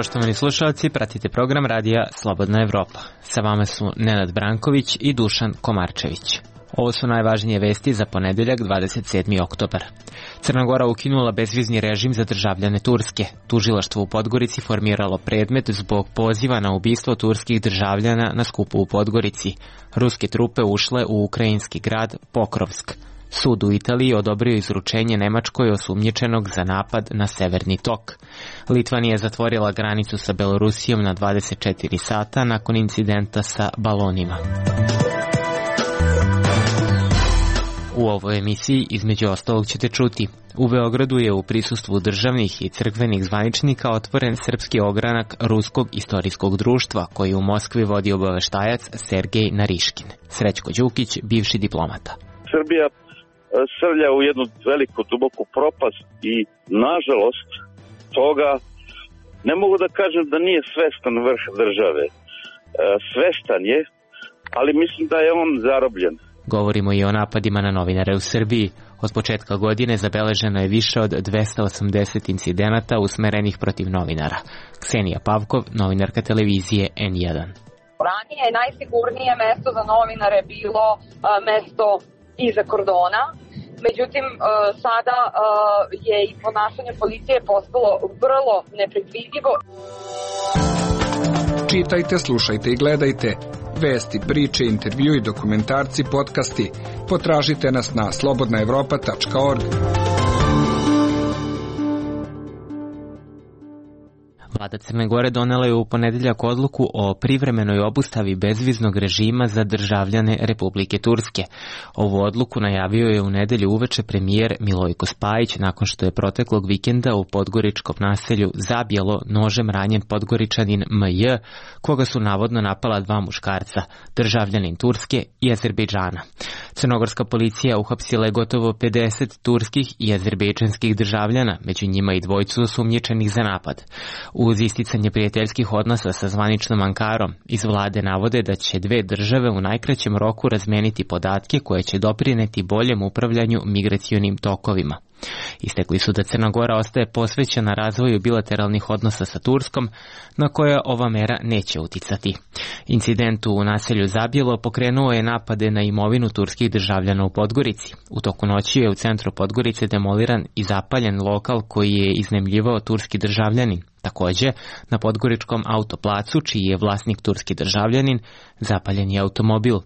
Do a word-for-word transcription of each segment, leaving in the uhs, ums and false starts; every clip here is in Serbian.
poštovani slušalci, pratite program radija Slobodna Evropa. Sa vama su Nenad Branković i Dušan Komarčević. Ovo su najvažnije vesti za ponedeljak dvadeset sedmi oktobar. Crna Gora ukinula bezvizni režim za državljane Turske. Tužilaštvo u Podgorici formiralo predmet zbog poziva na ubistvo turskih državljana na skupu u Podgorici. Ruske trupe ušle u ukrajinski grad Pokrovsk. Sud u Italiji odobrio izručenje Nemačkoj osumnjičenog za napad na Severni tok. Litvanija je zatvorila granicu sa Belorusijom na dvadeset četiri sata nakon incidenta sa balonima. U ovoj emisiji između ostalog ćete čuti: u Beogradu je u prisustvu državnih i crkvenih zvaničnika otvoren srpski ogranak Ruskog istorijskog društva, koji u Moskvi vodi obaveštajac Sergej Nariškin. Srećko Đukić, bivši diplomata. Srbija srlja u jednu veliku, duboku propast i, nažalost, toga ne mogu da kažem da nije svestan vrh države. Svestan je, ali mislim da je on zarobljen. Govorimo i o napadima na novinare u Srbiji. Od početka godine zabeleženo je više od dvesta osamdeset incidenata usmerenih protiv novinara. Ksenija Pavkov, novinarka televizije en jedan. Ranije je najsigurnije mesto za novinare bilo a, mesto iza kordona. Međutim, a, sada a, je i ponašanje policije postalo vrlo nepredvidivo. Čitajte, slušajte i gledajte vesti, priče, intervju i dokumentarci, podcasti. Potražite nas na slobodna evropa tačka org. Vlada Crne Gore donela je u ponedeljak odluku o privremenoj obustavi bezviznog režima za državljane Republike Turske. Ovu odluku najavio je u nedelju uveče premijer Milojko Spajić nakon što je proteklog vikenda u podgoričkom naselju Zabjelo nožem ranjen Podgoričanin M J, koga su navodno napala dva muškarca, državljanin Turske i Azerbejdžana. Crnogorska policija uhapsila je gotovo pedeset turskih i azerbejdžanskih državljana, među njima i dvojcu osumnjičenih za napad. Uz isticanje prijateljskih odnosa sa zvaničnom Ankarom, iz vlade navode da će dve države u najkraćem roku razmeniti podatke koje će doprineti boljem upravljanju migracionim tokovima. Istekli su da Crna Gora ostaje posvećena razvoju bilateralnih odnosa sa Turskom, na koja ova mera neće uticati. Incident u naselju Zabjelo pokrenuo je napade na imovinu turskih državljana u Podgorici. U toku noći je u centru Podgorice demoliran i zapaljen lokal koji je iznajmljivao turski državljanin. Takođe, na Podgoričkom autoplacu, čiji je vlasnik turski državljanin, zapaljen je automobil.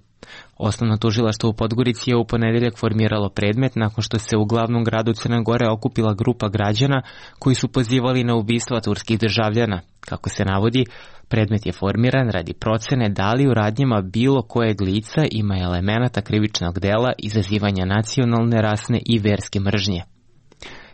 Osnovno tužilaštvo u Podgorici je u ponedeljak formiralo predmet nakon što se u glavnom gradu Crne Gore okupila grupa građana koji su pozivali na ubistva turskih državljana. Kako se navodi, predmet je formiran radi procene da li u radnjama bilo kojeg lica ima elemenata krivičnog dela izazivanja nacionalne, rasne i verske mržnje.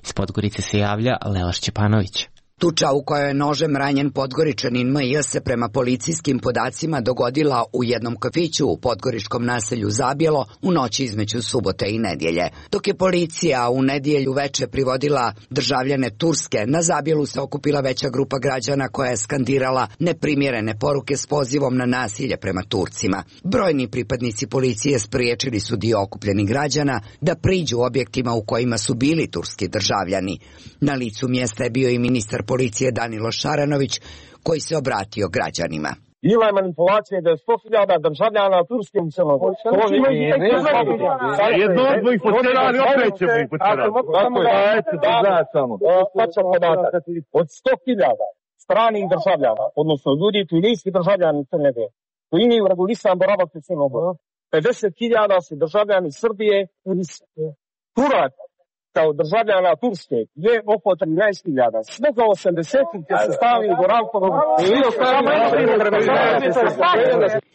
Iz Podgorice se javlja Lela Šćepanović. Tuča u kojoj je nožem ranjen Podgoričanin M J se prema policijskim podacima dogodila u jednom kafiću u podgoričkom naselju Zabjelo u noći između subote i nedjelje. Dok je policija u nedjelju veče privodila državljane Turske, na Zabjelu se okupila veća grupa građana koja je skandirala neprimjerene poruke s pozivom na nasilje prema Turcima. Brojni pripadnici policije spriječili su dio okupljenih građana da priđu objektima u kojima su bili turski državljani. Na licu mjesta je bio i ministar policije Danilo Šaranović, koji se obratio građanima. Bila je manipulacija da je sto hiljada državljana Turske u Crnoj Gori. Jedno od mojih poterali, opet ćemo ih poterali. Tačan podatak. Od sto hiljada stranih državljana, odnosno ljudi koji nisu državljani Crne Gore, koji imaju regulisan boravak u Crnoj Gori, pedeset hiljada su državljani Srbije ili Turaka. Kao državljana Turske je oko trinaest hiljada. Svega osamdeset će se stavi u boravkovom.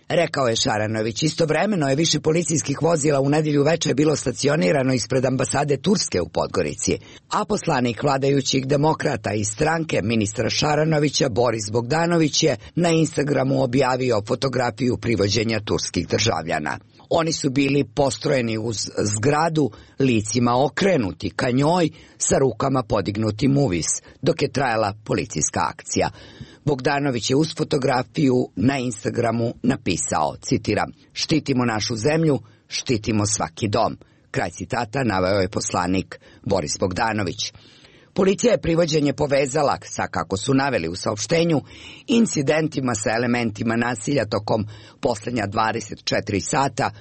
Rekao je Šaranović. Istovremeno je više policijskih vozila u nedjelju veče bilo stacionirano ispred ambasade Turske u Podgorici. A poslanik vladajućih demokrata iz stranke ministra Šaranovića Boris Bogdanović je na Instagramu objavio fotografiju privođenja turskih državljana. Oni su bili postrojeni uz zgradu, licima okrenuti ka njoj, sa rukama podignutim uvis, dok je trajala policijska akcija. Bogdanović je uz fotografiju na Instagramu napisao, citiram, štitimo našu zemlju, štitimo svaki dom. Kraj citata naveo je poslanik Boris Bogdanović. Policija je privođenje povezala sa, kako su naveli u saopštenju, incidentima sa elementima nasilja tokom poslednja dvadeset četiri sata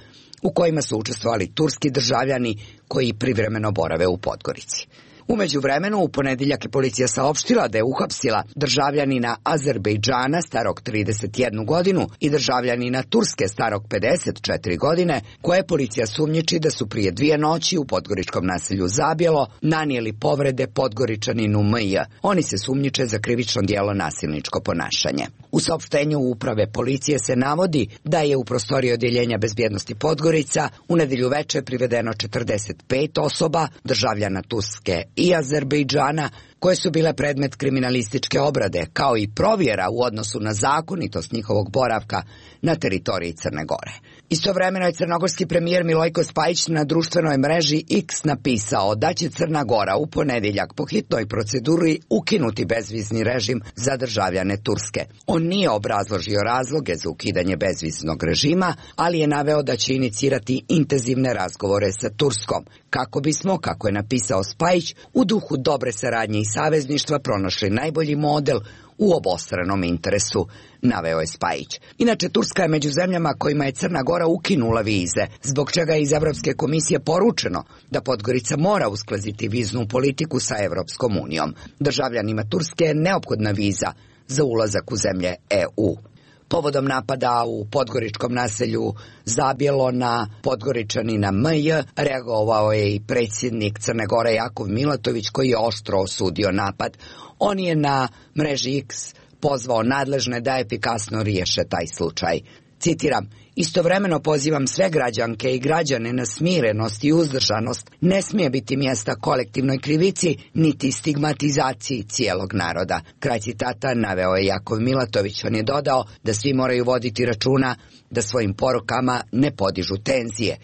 u kojima su učestvovali turski državljani koji privremeno borave u Podgorici. U međuvremenu, u ponedeljak je policija saopštila da je uhapsila državljanina Azerbejdžana starog trideset jednu godinu i državljanina Turske starog pedeset četiri godine, koje policija sumnjiči da su prije dvije noći u podgoričkom naselju Zabjelo nanijeli povrede Podgoričaninu M J. Oni se sumnjiče za krivično djelo nasilničko ponašanje. U saopštenju uprave policije se navodi da je u prostoriji odjeljenja bezbjednosti Podgorica u nedelju veče privedeno četrdeset pet osoba, državljana Turske i Azerbejdžana, koje su bile predmet kriminalističke obrade, kao i provjera u odnosu na zakonitost njihovog boravka na teritoriji Crne Gore. Istovremeno je crnogorski premijer Milojko Spajić na društvenoj mreži X napisao da će Crna Gora u ponedeljak po hitnoj proceduri ukinuti bezvizni režim za državljane Turske. On nije obrazložio razloge za ukidanje bezviznog režima, ali je naveo da će inicirati intenzivne razgovore sa Turskom, kako bismo, kako je napisao Spajić, u duhu dobre saradnje i savezništva pronašli najbolji model u obostranom interesu, naveo je Spajić. Inače, Turska je među zemljama kojima je Crna Gora ukinula vize, zbog čega je iz Evropske komisije poručeno da Podgorica mora usklaziti viznu politiku sa Evropskom unijom. Državljanima Turske je neophodna viza za ulazak u zemlje E U. Povodom napada u podgoričkom naselju Zabjelo na Podgoričanina M J reagovao je i predsjednik Crne Gore Jakov Milatović, koji je oštro osudio napad. On je na mreži X pozvao nadležne da efikasno riješe taj slučaj. Citiram: "Istovremeno pozivam sve građanke i građane na smirenost i uzdržanost. Ne smije biti mjesta kolektivnoj krivici niti stigmatizaciji cijelog naroda." Kraj citata naveo je Jakov Milatović. On je dodao da svi moraju voditi računa da svojim porukama ne podižu tenzije.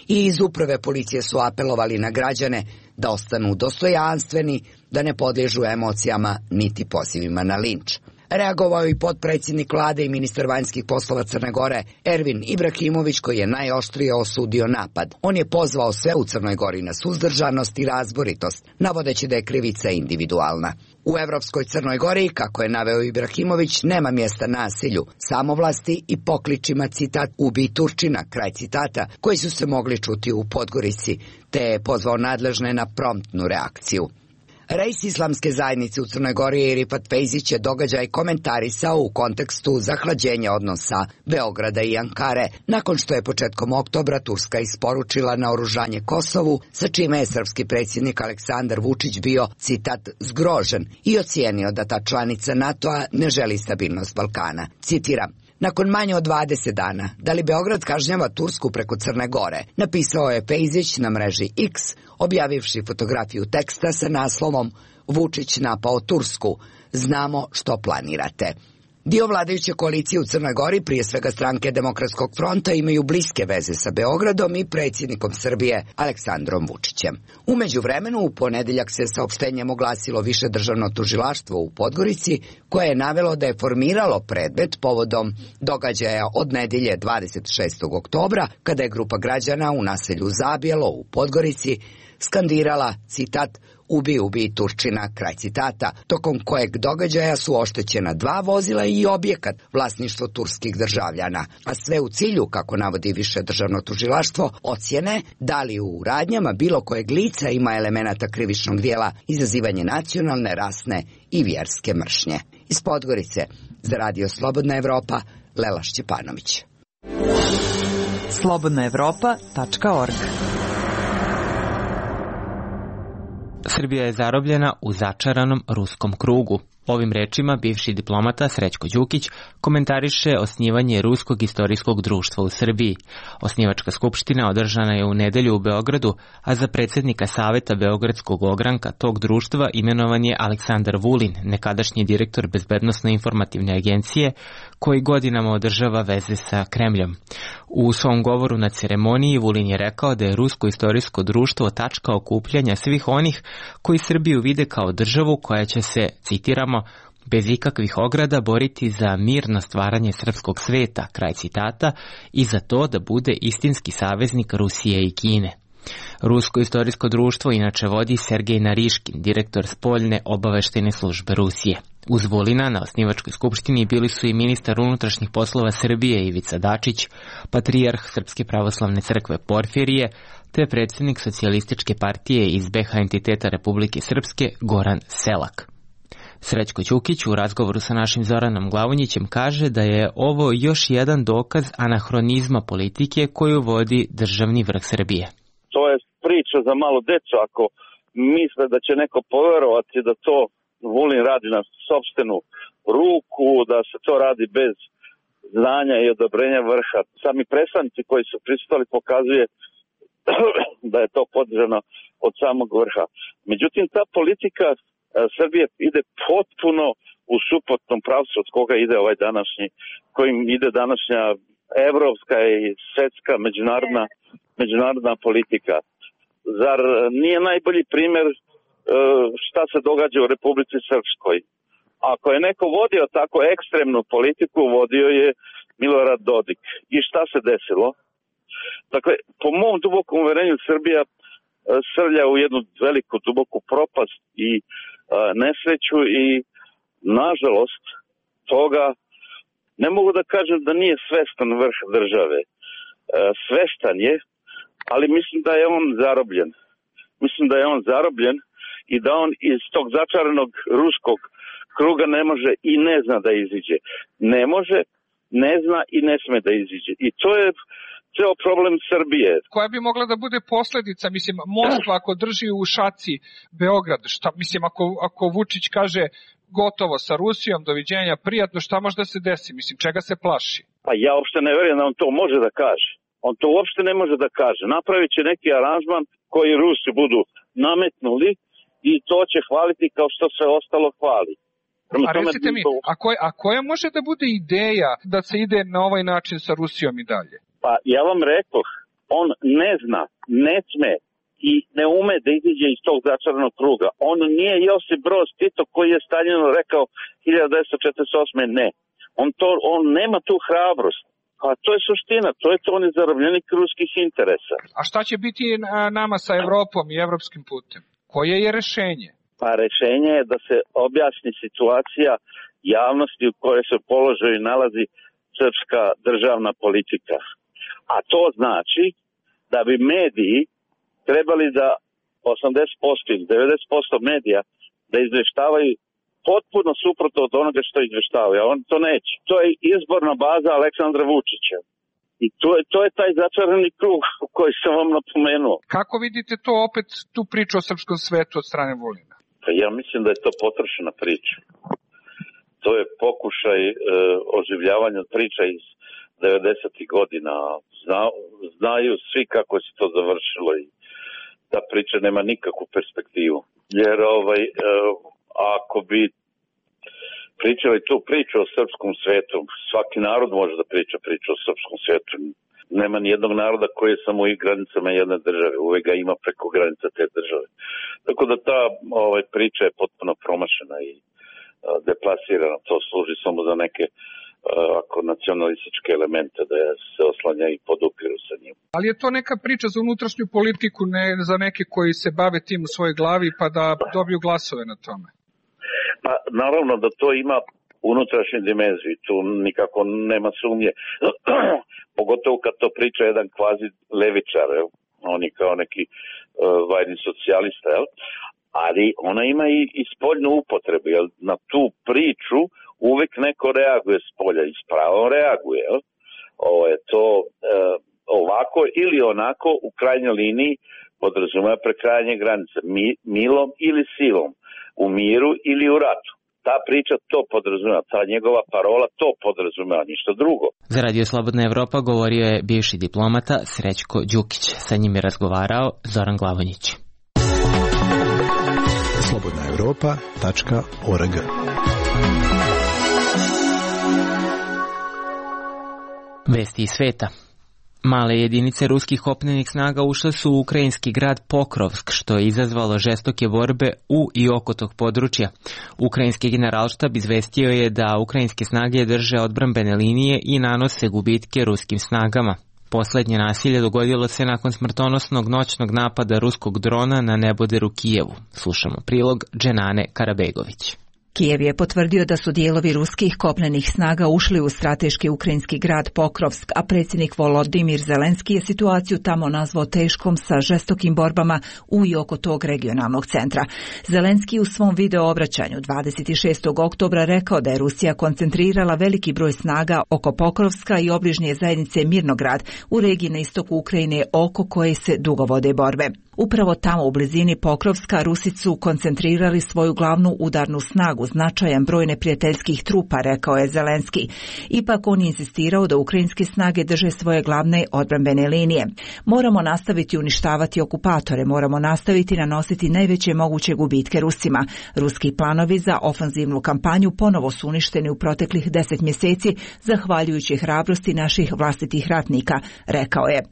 I iz uprave policije su apelovali na građane da ostanu dostojanstveni, da ne podliježu emocijama niti pozivima na linč. Reagovao je i potpredsjednik vlade i ministar vanjskih poslova Crne Gore Ervin Ibrahimović, koji je najoštrije osudio napad. On je pozvao sve u Crnoj Gori na suzdržanost i razboritost, navodeći da je krivica individualna. U Evropskoj Crnoj Gori, kako je naveo Ibrahimović, nema mjesta nasilju, samovlasti i pokličima, citat, "Ubij Turčina", kraj citata, koji su se mogli čuti u Podgorici, te je pozvao nadležne na promptnu reakciju. Rejs islamske zajednice u Crnoj Gori Rifat Fejzić je događaj komentarisao u kontekstu zahlađenja odnosa Beograda i Ankare, nakon što je početkom oktobra Turska isporučila naoružanje Kosovu, sa čime je srpski predsjednik Aleksandar Vučić bio, citat, "zgrožen" i ocijenio da ta članica NATO-a ne želi stabilnost Balkana. Citiram: "Nakon manje od dvadeset dana, da li Beograd kažnjava Tursku preko Crne Gore?" napisao je Fejzić na mreži X, objavivši fotografiju teksta sa naslovom "Vučić napao Tursku, znamo što planirate." Dio vladajuće koalicije u Crnoj Gori, prije svega stranke Demokratskog fronta, imaju bliske veze sa Beogradom i predsjednikom Srbije Aleksandrom Vučićem. U međuvremenu, u ponedeljak se saopštenjem oglasilo više državno tužilaštvo u Podgorici, koje je navelo da je formiralo predmet povodom događaja od nedelje dvadeset šestog oktobra, kada je grupa građana u naselju Zabjelo u Podgorici skandirala, citat, "Ubi, ubi Turčina", kraj citata, tokom kojeg događaja su oštećena dva vozila i objekat vlasništvo turskih državljana, a sve u cilju, kako navodi više državno tužilaštvo, ocjene da li u radnjama bilo kojeg lica ima elemenata krivičnog dijela izazivanje nacionalne, rasne i vjerske mržnje. Iz Podgorice, za Radio Slobodna Evropa, Lela Šćepanović. slobodna evropa tačka org. Srbija je zarobljena u začaranom ruskom krugu. Ovim rečima bivši diplomata Srećko Đukić komentariše osnivanje Ruskog istorijskog društva u Srbiji. Osnivačka skupština održana je u nedelju u Beogradu, a za predsjednika Saveta Beogradskog ogranka tog društva imenovan je Aleksandar Vulin, nekadašnji direktor Bezbednosno-informativne agencije, koji godinama održava veze sa Kremljom. U svom govoru na ceremoniji Vulin je rekao da je Rusko istorijsko društvo tačka okupljanja svih onih koji Srbiju vide kao državu koja će se, citiramo, bez ikakvih ograda boriti za mirno stvaranje srpskog sveta, kraj citata, i za to da bude istinski saveznik Rusije i Kine. Rusko istorijsko društvo inače vodi Sergej Nariškin, direktor spoljne obaveštene službe Rusije. Uz Vulina na osnivačkoj skupštini bili su i ministar unutrašnjih poslova Srbije Ivica Dačić, patrijarh Srpske pravoslavne crkve Porfirije, te predsjednik socijalističke partije iz be ha entiteta Republike Srpske Goran Selak. Srećko Ćukić u razgovoru sa našim Zoranom Glavonjićem kaže da je ovo još jedan dokaz anahronizma politike koju vodi državni vrh Srbije. To je priča za malo decu. Ako misle da će neko poverovati da to Vulin radi na sopstvenu ruku, da se to radi bez znanja i odobrenja vrha. Sami predstavnici koji su pristali pokazuje da je to podržano od samog vrha. Međutim, ta politika Srbije ide potpuno u suprotnom pravcu od koga ide ovaj današnji, kojim ide današnja evropska i svetska međunarodna, međunarodna politika. Zar nije najbolji primjer šta se događa u Republici Srpskoj? Ako je neko vodio tako ekstremnu politiku, vodio je Milorad Dodik. I šta se desilo? Dakle, po mom dubokom uverenju Srbija srlja u jednu veliku duboku propast i a, nesreću i nažalost toga ne mogu da kažem da nije svestan vrh države. A, svestan je, ali mislim da je on zarobljen. Mislim da je on zarobljen i da on iz tog začaranog ruskog kruga ne može i ne zna da iziđe. Ne može, ne zna i ne sme da iziđe. I to je ceo problem Srbije. Koja bi mogla da bude posljedica, mislim, Moskva ako drži u šaci Beograd, šta, mislim, ako, ako Vučić kaže gotovo sa Rusijom, doviđenja, prijatno, šta može da se desi, mislim, čega se plaši? Pa ja uopšte ne verujem da on to može da kaže. On to uopšte ne može da kaže. Napravit će neki aranžman koji Rusi budu nametnuli i to će hvaliti kao što sve ostalo hvali. A recite mi, a koja, a koja može da bude ideja da se ide na ovaj način sa Rusijom i dalje? Pa ja vam rekoh, on ne zna, ne sme i ne ume da iziđe iz tog začaranog kruga. On nije Josip Broz Tito koji je Staljinu rekao hiljadu devetsto četrdeset osme ne. On, to, on nema tu hrabrost. A to je suština, to je to on je zarobljenik ruskih interesa. A šta će biti nama sa Evropom i evropskim putem? Koje je rešenje? Pa rešenje je da se objasni situacija javnosti u kojoj se položaju nalazi srpska državna politika. A to znači da bi mediji trebali da osamdeset posto ili devedeset posto medija da izveštavaju potpuno suprotno od onoga što izveštavaju, a on to neće. To je izborna baza Aleksandra Vučića. I to je, to je taj začarani krug koji sam vam napomenuo. Kako vidite to opet, tu priču o srpskom svetu od strane Vulina? Pa ja mislim da je to potrošena priča. To je pokušaj e, oživljavanja priča iz devedesetih godina. Zna, znaju svi kako se to završilo i ta priča nema nikakvu perspektivu. Jer ovaj, e, ako bi pričali tu priču o srpskom svetu, svaki narod može da priča priču o srpskom svetu. Nema ni jednog naroda koji je samo u granicama jedne države. Uvek ga ima preko granica te države. Tako da ta ovaj, priča je potpuno promašena i a, deplasirana. To služi samo za neke a, ako nacionalističke elemente da se oslanja i podupiru sa njim. Ali je to neka priča za unutrašnju politiku, ne za neke koji se bave tim u svojoj glavi pa da dobiju glasove na tome? Pa naravno da to ima unutrašnju dimenziju, tu nikako nema sumnje. Pogotovo kad to priča jedan kvazi levičar, jel? On je kao neki uh, vajni socijalista, jel? Ali ona ima i, i spoljnu upotrebu, jel? Na tu priču uvek neko reaguje s polja i s pravom reaguje, jel? Ovo je to uh, ovako ili onako u krajnjoj liniji podrazumeva prekrajanje granice, Mi, milom ili silom, u miru ili u ratu. Ta priča to podrazumeva, ta njegova parola to podrazumeva, ništa drugo. Za Radio Slobodna Evropa govorio je bivši diplomata Srećko Đukić. Sa njim je razgovarao Zoran Glavonjić. slobodna evropa tačka org Vesti iz sveta. Male jedinice ruskih kopnenih snaga ušle su u ukrajinski grad Pokrovsk, što je izazvalo žestoke borbe u i oko tog područja. Ukrajinski generalštab izvestio je da ukrajinske snage drže odbrambene linije i nanose gubitke ruskim snagama. Poslednje nasilje dogodilo se nakon smrtonosnog noćnog napada ruskog drona na neboderu Kijevu. Slušamo prilog Dženane Karabegović. Kijev je potvrdio da su dijelovi ruskih kopnenih snaga ušli u strateški ukrajinski grad Pokrovsk, a predsjednik Volodimir Zelenski je situaciju tamo nazvao teškom sa žestokim borbama u i oko tog regionalnog centra. Zelenski u svom video obraćanju dvadeset šestog oktobra rekao da je Rusija koncentrirala veliki broj snaga oko Pokrovska i obližnje zajednice Mirnograd u regiji na istoku Ukrajine oko koje se dugo vode borbe. Upravo tamo u blizini Pokrovska Rusi su koncentrirali svoju glavnu udarnu snagu, značajan broj neprijateljskih trupa, rekao je Zelenski. Ipak on je insistirao da ukrajinske snage drže svoje glavne odbrambene linije. Moramo nastaviti uništavati okupatore, moramo nastaviti nanositi najveće moguće gubitke Rusima. Ruski planovi za ofanzivnu kampanju ponovo su uništeni u proteklih deset mjeseci, zahvaljujući hrabrosti naših vlastitih ratnika, rekao je.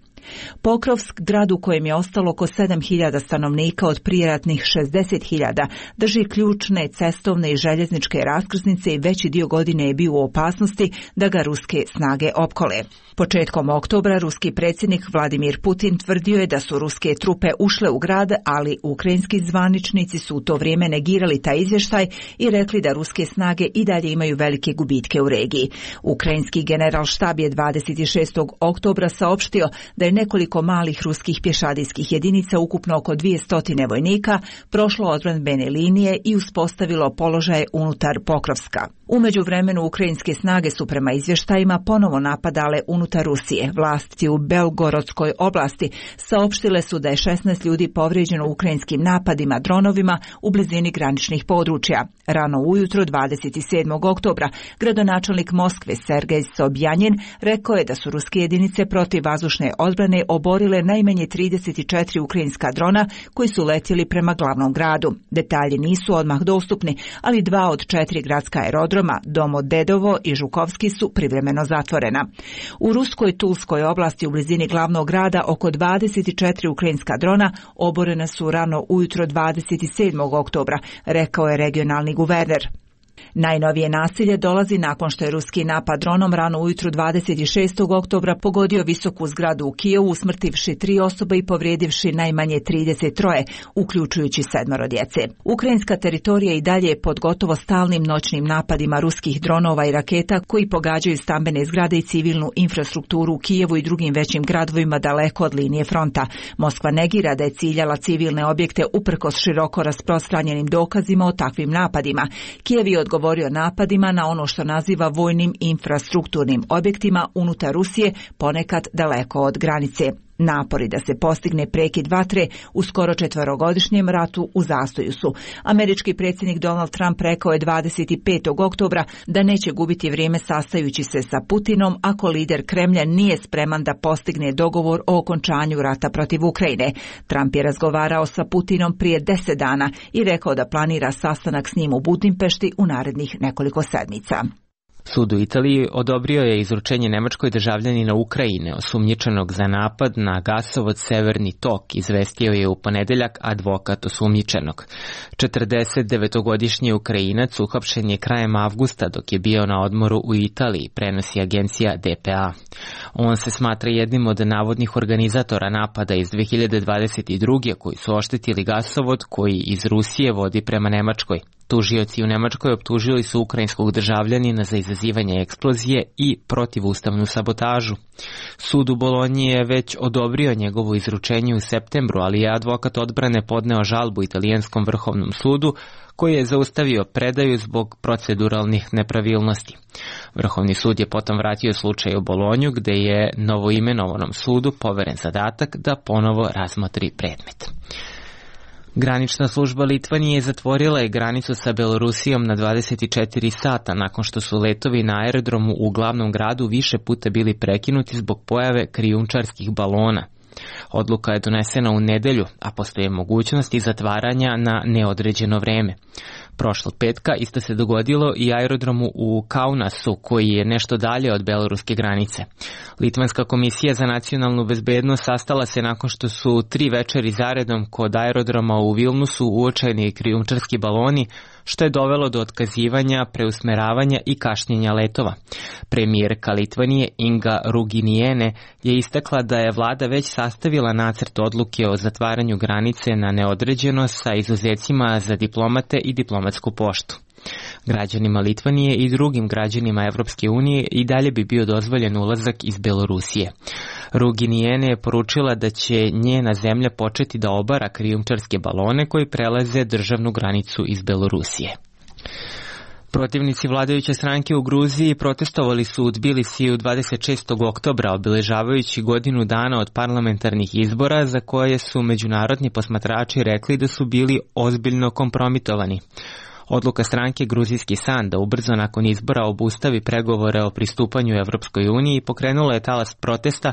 Pokrovsk, grad u kojem je ostalo oko sedam hiljada stanovnika od prijeratnih šezdeset hiljada, drži ključne cestovne i željezničke raskrsnice i veći dio godine je bio u opasnosti da ga ruske snage opkole. Početkom oktobra ruski predsjednik Vladimir Putin tvrdio je da su ruske trupe ušle u grad, ali ukrajinski zvaničnici su u to vrijeme negirali taj izvještaj i rekli da ruske snage i dalje imaju velike gubitke u regiji. Ukrajinski generalštab je dvadeset šestog oktobra saopštio da je nekoliko malih ruskih pješadijskih jedinica, ukupno oko dvjesto vojnika, prošlo odbrambene linije i uspostavilo položaje unutar Pokrovska. U međuvremenu ukrajinske snage su prema izvještajima ponovo napadale unutar Rusije. Vlasti u Belgorodskoj oblasti saopštile su da je šesnaest ljudi povrijeđeno ukrajinskim napadima dronovima u blizini graničnih područja. Rano ujutro dvadeset sedmog oktobra gradonačelnik Moskve Sergej Sobjanin rekao je da su ruske jedinice protivvazdušne odbrane oborile najmanje trideset četiri ukrajinska drona koji su letjeli prema glavnom gradu. Detalji nisu odmah dostupni, ali dva od četiri gradska aerodroma, Domodedovo i Žukovski, su privremeno zatvorena. U ruskoj Tulskoj oblasti u blizini glavnog grada oko dvadeset četiri ukrajinska drona oborena su rano ujutro dvadeset sedmog oktobra, rekao je regionalni guverner. Najnovije nasilje dolazi nakon što je ruski napad dronom rano ujutru dvadeset šestog oktobra pogodio visoku zgradu u Kijevu, usmrtivši tri osobe i povrijedivši najmanje trideset tri, uključujući sedmoro djece. Ukrajinska teritorija i dalje je pod gotovo stalnim noćnim napadima ruskih dronova i raketa koji pogađaju stambene zgrade i civilnu infrastrukturu u Kijevu i drugim većim gradovima daleko od linije fronta. Moskva negira da je ciljala civilne objekte uprkos široko rasprostranjenim dokazima o takvim napadima. Kijev je odgovorio napadima na ono što naziva vojnim infrastrukturnim objektima unutar Rusije, ponekad daleko od granice. Napori da se postigne prekid vatre u skoro četverogodišnjem ratu u zastoju su. Američki predsjednik Donald Trump rekao je dvadeset petog oktobra da neće gubiti vrijeme sastajući se sa Putinom ako lider Kremlja nije spreman da postigne dogovor o okončanju rata protiv Ukrajine. Trump je razgovarao sa Putinom prije deset dana i rekao da planira sastanak s njim u Budimpešti u narednih nekoliko sedmica. Sud u Italiji odobrio je izručenje nemačkoj državljanina Ukrajine, osumnjičenog za napad na gasovod Severni tok, izvestio je u ponedeljak advokat osumnjičenog. četrdesetdevetogodišnji Ukrajinac uhapšen je krajem avgusta dok je bio na odmoru u Italiji, prenosi agencija D P A. On se smatra jednim od navodnih organizatora napada iz dve hiljade dvadeset druge koji su oštetili gasovod koji iz Rusije vodi prema Nemačkoj. Tužioci u Nemačkoj optužili su ukrajinskog državljanina za izazivanje eksplozije i protivustavnu sabotažu. Sud u Bolonji je već odobrio njegovo izručenje u septembru, ali je advokat odbrane podneo žalbu italijanskom vrhovnom sudu koji je zaustavio predaju zbog proceduralnih nepravilnosti. Vrhovni sud je potom vratio slučaj u Bolonju gde je novoimenovanom sudu poveren zadatak da ponovo razmotri predmet. Granična služba Litvanije zatvorila je granicu sa Belorusijom na dvadeset četiri sata nakon što su letovi na aerodromu u glavnom gradu više puta bili prekinuti zbog pojave krijumčarskih balona. Odluka je donesena u nedelju, a postoje mogućnosti zatvaranja na neodređeno vreme. Prošlog petka isto se dogodilo i aerodromu u Kaunasu, koji je nešto dalje od beloruske granice. Litvanska komisija za nacionalnu bezbednost sastala se nakon što su tri večeri zaredom kod aerodroma u Vilnusu uočeni krijumčarski baloni, što je dovelo do otkazivanja, preusmeravanja i kašnjenja letova. Premijerka Litvanije Inga Ruginijene je istakla da je vlada već sastavila nacrt odluke o zatvaranju granice na neodređeno sa izuzecima za diplomate i diplomatsku poštu. Građanima Litvanije i drugim građanima Evropske unije i dalje bi bio dozvoljen ulazak iz Belorusije. Ruginijene je poručila da će njena zemlja početi da obara krijumčarske balone koji prelaze državnu granicu iz Belorusije. Protivnici vladajuće stranke u Gruziji protestovali su u Tbilisiju dvadeset šestog oktobra, obeležavajući godinu dana od parlamentarnih izbora za koje su međunarodni posmatrači rekli da su bili ozbiljno kompromitovani. Odluka stranke Gruzijski san da ubrzo nakon izbora obustavi pregovore o pristupanju Evropskoj uniji pokrenula je talas protesta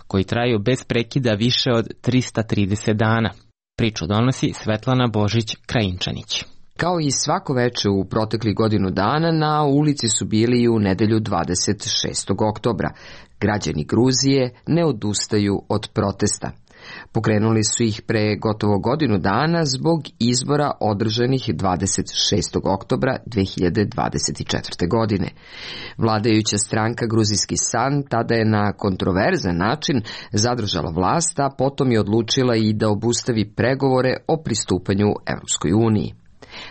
koji traju bez prekida više od trista trideset dana. Priču donosi Svetlana Božić-Krajinčanić. Kao i svako veče u proteklih godinu dana, na ulici su bili i u nedelju dvadeset šestog oktobra. Građani Gruzije ne odustaju od protesta. Pokrenuli su ih pre gotovo godinu dana zbog izbora održanih dvadeset šestog oktobra dve hiljade dvadeset četvrte. godine. Vladajuća stranka Gruzijski san tada je na kontroverzan način zadržala vlast, a potom je odlučila i da obustavi pregovore o pristupanju Evropskoj uniji.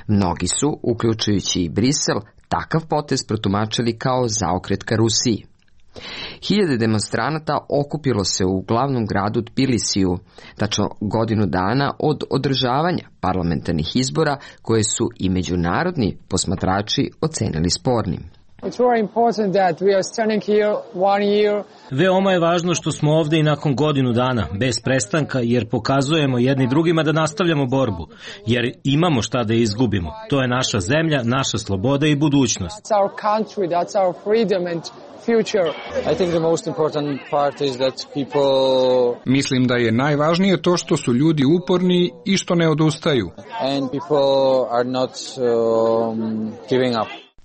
Mnogi su, uključujući i Brisel, takav potez protumačili kao zaokret ka Rusiji. Hiljade demonstranata okupilo se u glavnom gradu Tbilisiju, tačno godinu dana od održavanja parlamentarnih izbora koje su i međunarodni posmatrači ocenili spornim. Veoma je važno što smo ovde i nakon godinu dana, bez prestanka, jer pokazujemo jedni drugima da nastavljamo borbu, jer imamo šta da izgubimo. To je naša zemlja, naša sloboda i budućnost. Mislim da je najvažnije to što su ljudi uporni i što ne odustaju.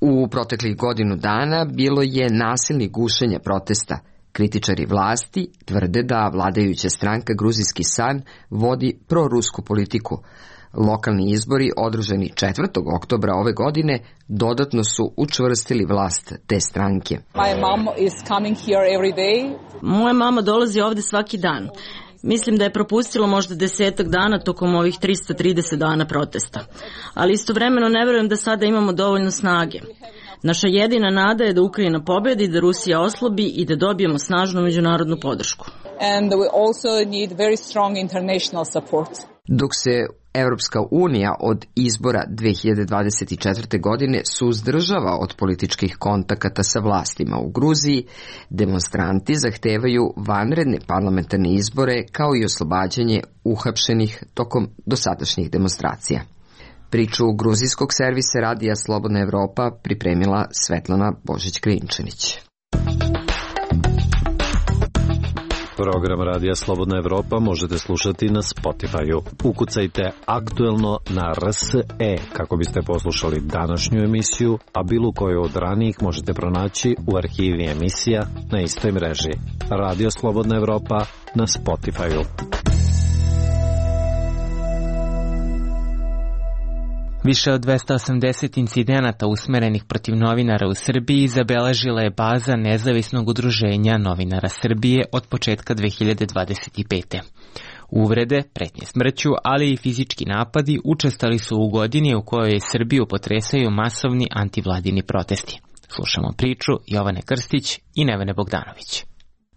U proteklih godinu dana bilo je nasilnih gušenja protesta. Kritičari vlasti tvrde da vladajuća stranka Gruzijski san vodi prorusku politiku. Lokalni izbori održani četvrtog oktobra ove godine dodatno su učvrstili vlast te stranke. Moja mama dolazi ovde svaki dan. Mislim da je propustilo možda desetak dana tokom ovih trista trideset dana protesta. Ali istovremeno ne verujem da sada imamo dovoljno snage. Naša jedina nada je da Ukrajina pobedi, da Rusija oslabi i da dobijemo snažnu međunarodnu podršku. Dok se Evropska unija od izbora dve hiljade dvadeset četvrte. godine suzdržava od političkih kontakata sa vlastima u Gruziji, demonstranti zahtevaju vanredne parlamentarne izbore kao i oslobađanje uhapšenih tokom dosadašnjih demonstracija. Priču gruzijskog servisa radija Slobodna Evropa pripremila Svetlana Božić-Krajinčanić. Program Radija Slobodna Evropa možete slušati na Spotify-u. Ukucajte aktuelno na R S E kako biste poslušali današnju emisiju, a bilo koju od ranijih možete pronaći u arhivi emisija na istoj mreži. Radio Slobodna Evropa na Spotify-u. Više od dvesta osamdeset incidenata usmerenih protiv novinara u Srbiji zabeležila je baza Nezavisnog udruženja novinara Srbije od početka dve hiljade dvadeset pete. Uvrede, pretnje smrću, ali i fizički napadi učestali su u godini u kojoj Srbiju potresaju masovni antivladini protesti. Slušamo priču Jovane Krstić i Nevene Bogdanović.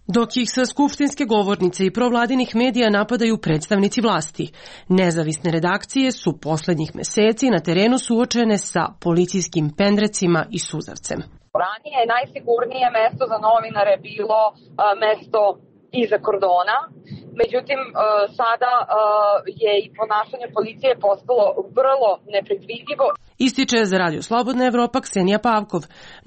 Dok ih sa skupštinske govornice i provladinih medija napadaju predstavnici vlasti, nezavisne redakcije su poslednjih meseci na terenu suočene sa policijskim pendrecima i suzavcem. Ranije je najsigurnije mesto za novinare bilo a, mesto iza kordona, međutim a, sada a, je i ponašanje policije postalo vrlo nepredvidivo. Ističe za Radio Slobodna Evropa Ksenija Pavkov,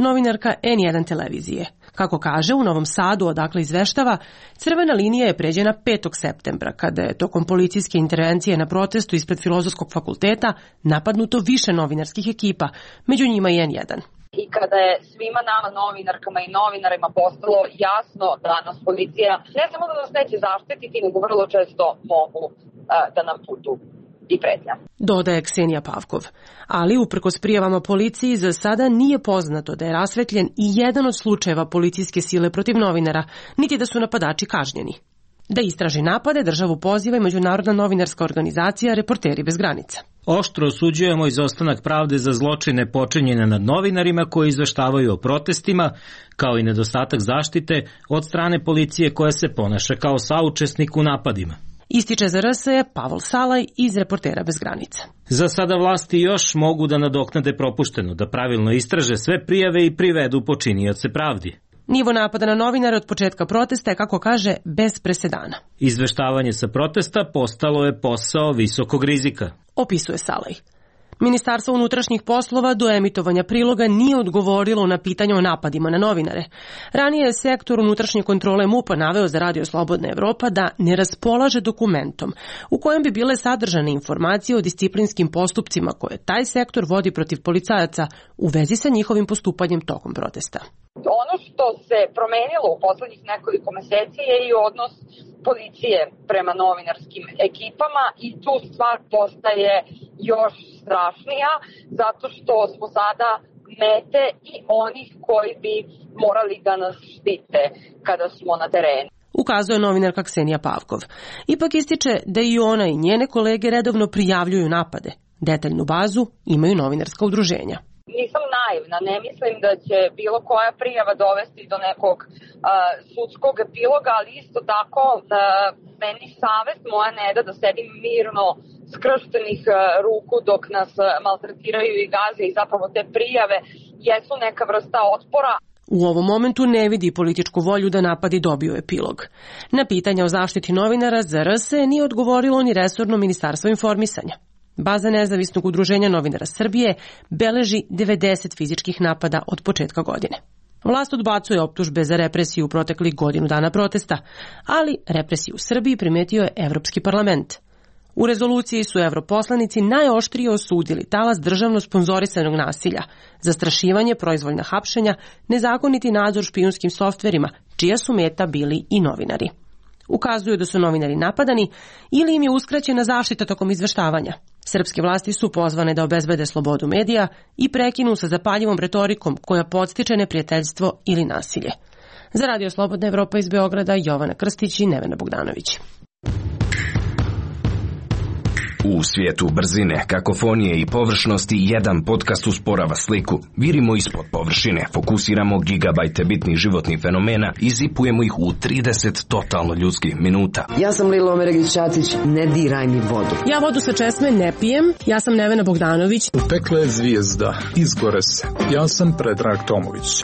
novinarka N jedan televizije. Kako kaže, u Novom Sadu, odakle izveštava, crvena linija je pređena petog septembra, kada je tokom policijske intervencije na protestu ispred Filozofskog fakulteta napadnuto više novinarskih ekipa, među njima i en jedan. I kada je svima nama novinarkama i novinarima postalo jasno da nas policija ne samo da nas neće zaštititi, nego vrlo često mogu uh, da nam putu i pretnja. Dodaje Ksenija Pavkov. Ali, uprkos prijavama policiji, za sada nije poznato da je rasvetljen i jedan od slučajeva policijske sile protiv novinara, niti da su napadači kažnjeni. Da istraži napade, državu poziva i Međunarodna novinarska organizacija Reporteri bez granica. Oštro osuđujemo izostanak pravde za zločine počinjene nad novinarima koji izveštavaju o protestima, kao i nedostatak zaštite od strane policije koja se ponaša kao saučesnik u napadima. Ističe za R S E Pavol Salaj iz Reportera bez granica. Za sada vlasti još mogu da nadoknade propušteno, da pravilno istraže sve prijave i privedu počinioce pravdi. Nivo napada na novinare od početka protesta je, kako kaže, bez presedana. Izveštavanje sa protesta postalo je posao visokog rizika, opisuje Salaj. Ministarstvo unutrašnjih poslova do emitovanja priloga nije odgovorilo na pitanje o napadima na novinare. Ranije je sektor unutrašnje kontrole M U P-a naveo za Radio Slobodna Evropa da ne raspolaže dokumentom u kojem bi bile sadržane informacije o disciplinskim postupcima koje taj sektor vodi protiv policajaca u vezi sa njihovim postupanjem tokom protesta. Ono što se promenilo u poslednjih nekoliko meseci je i odnos policije prema novinarskim ekipama i tu stvar postaje još strašnija zato što smo sada mete i onih koji bi morali da nas štite kada smo na terenu. Ukazuje novinarka Ksenija Pavkov. Ipak ističe da i ona i njene kolege redovno prijavljuju napade. Detaljnu bazu imaju novinarska udruženja. Nisam naivna, ne mislim da će bilo koja prijava dovesti do nekog uh, sudskog epiloga, ali isto tako uh, meni savest moja ne da da sedim mirno skrštenih uh, ruku dok nas uh, maltretiraju i gaze i zapravo te prijave jesu neka vrsta otpora. U ovom momentu ne vidi političku volju da napadi dobiju epilog. Na pitanja o zaštiti novinara za R S E nije odgovorilo ni resorno ministarstvo informisanja. Baza nezavisnog udruženja novinara Srbije beleži devedeset fizičkih napada od početka godine. Vlast odbacuje optužbe za represiju u proteklih godinu dana protesta, ali represiju u Srbiji primetio je Evropski parlament. U rezoluciji su evroposlanici najoštrije osudili talas državno sponzorisanog nasilja, zastrašivanje, proizvoljna hapšenja, nezakoniti nadzor špijunskim softverima, čija su meta bili i novinari. Ukazuju da su novinari napadani ili im je uskraćena zaštita tokom izveštavanja. Srpske vlasti su pozvane da obezbede slobodu medija i prekinu sa zapaljivom retorikom koja podstiče neprijateljstvo ili nasilje. Za Radio Slobodna Evropa iz Beograda, Jovana Krstić i Nevena Bogdanović. U svijetu brzine, kakofonije i površnosti jedan podcast usporava sliku. Virimo ispod površine, fokusiramo gigabajte bitnih životnih fenomena i zipujemo ih u trideset totalno ljudskih minuta. Ja sam Lilo Omeregić-Ćatić, ne diraj mi vodu. Ja vodu sa česme ne pijem, ja sam Nevena Bogdanović. U pekle je zvijezda, izgore se. Ja sam Predrag Tomović.